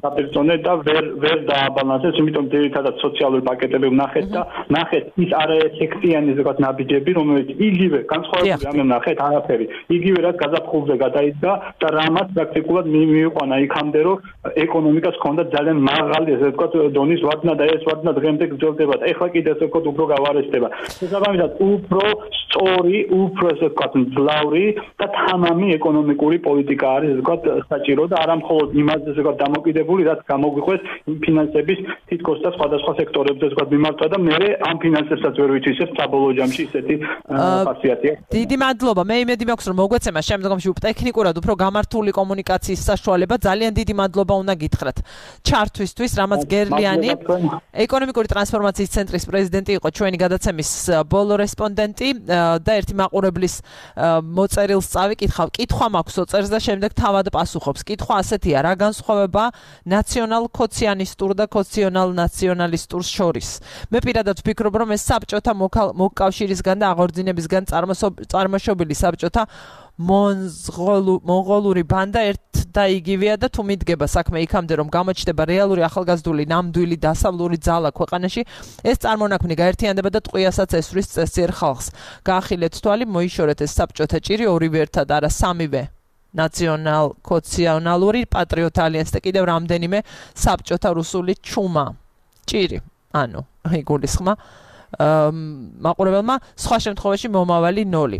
საპირწონე და ვერ დააბალანსეს, იმიტომ ძირითადად სოციალური პაკეტები ვნახეთ და ნახეთ ის არაეფექტიანი ესე ვთქვათ ნაბიჯები, რომელიც იგივე განსხვავებული ამე ვნახეთ არაფერი. იგივე რაც გაზაფხულზე გადაიდგა და რამაც პრაქტიკულად მიიყვანა იქამდე, რომ ეკონომიკას ჰქონდა ძალიან მაღალი ესე ვთქვათ დონის ვარდნა და ეს ვარდნა დღემდე გრძელდება და ეხლა კიდე ესე ვთქვათ უფრო გავარესდება. შესაბამისად უფრო სწორი, უფრო ესე ვთქვათ მძლავრი და თამამი ეკონომიკური პოლიტიკა არის ესე ვთქვათ საჭირო და არა მხოლოდ იმაზე ესე ვთქვათ დამოკიდებული, რაც გამოგვიყვეს იმ ფინანსების თითქოს და სხვადასხვა სექტორებზე ესე ვთქვათ მიმართვა და მე ამ ფინანსებსაც ვერ ვიცისებ საბოლოო ჯამში ისეთი ხასიათია. დიდი მადლობა. მე იმედი მაქვს რომ მოგვეცემა შემდგომში ტექნიკურად უფრო გამართული კომუნიკაციის საშუალება. ძალიან დიდი მადლობა უნდა გითხრათ ჩართვისთვის. რამაც გერლიანი ეკონომიკური ტრანსფორმაციის ცენტრის პრეზიდენტი იყო ჩვენი გადაცემის ბოლო რესპონდენტი და ერთი მაყურებლის მოწერილს წავიკითხავ. კითხვა მაქვს ოწერს და შემდეგ თავად პასუხობს. კითხვა ასეთია: რა განსხვავება ნაციონალ ქოციანისტურ და ქოციონალ ნაციონალისტურს შორის? მე პირადად ვფიქრობ, რომ ეს საბჭოთა მოკავშირისგან და აღორძინებისგან წარმოშობილი საბჭოთა მონღოლური ბანდა ერთ და იგივეა და თუ მიდგება საქმე იქამდე რომ გამოჩნდება რეალური ახალგაზრდული ნამდვილი დასავლური ძალა ქვეყანაში, ეს წარმონაქმნი გაერთიანდება და ტყვიასაც ესვრის წესიერ ხალხს. გაახილეთ თვალი, მოიშორეთ ეს საბჭოთა ჭირი ორივე ერთად არა სამივე ნაციონალ-კოალიციური პატრიოტ ალიანსი და კიდევ რამდენიმე საბჭოთა რუსული ჩუმა. ჭირი, ანუ იგულისხმა მაყურებელმა სხვა შემთხვევაში მომავალი 0.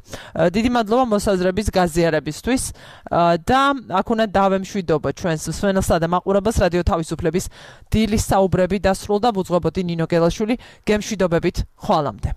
დიდი მადლობა მოსაზრების გაზიარებისთვის და აქ უნდა დავემშვიდობ ჩვენს მსმენელსა და მაყურებელს რადიო თავისუფლების დილის საუბრები დასრულდა. ვუძღვებოდი ნინო გელაშვილი, გემშვიდობებით ხვალამდე.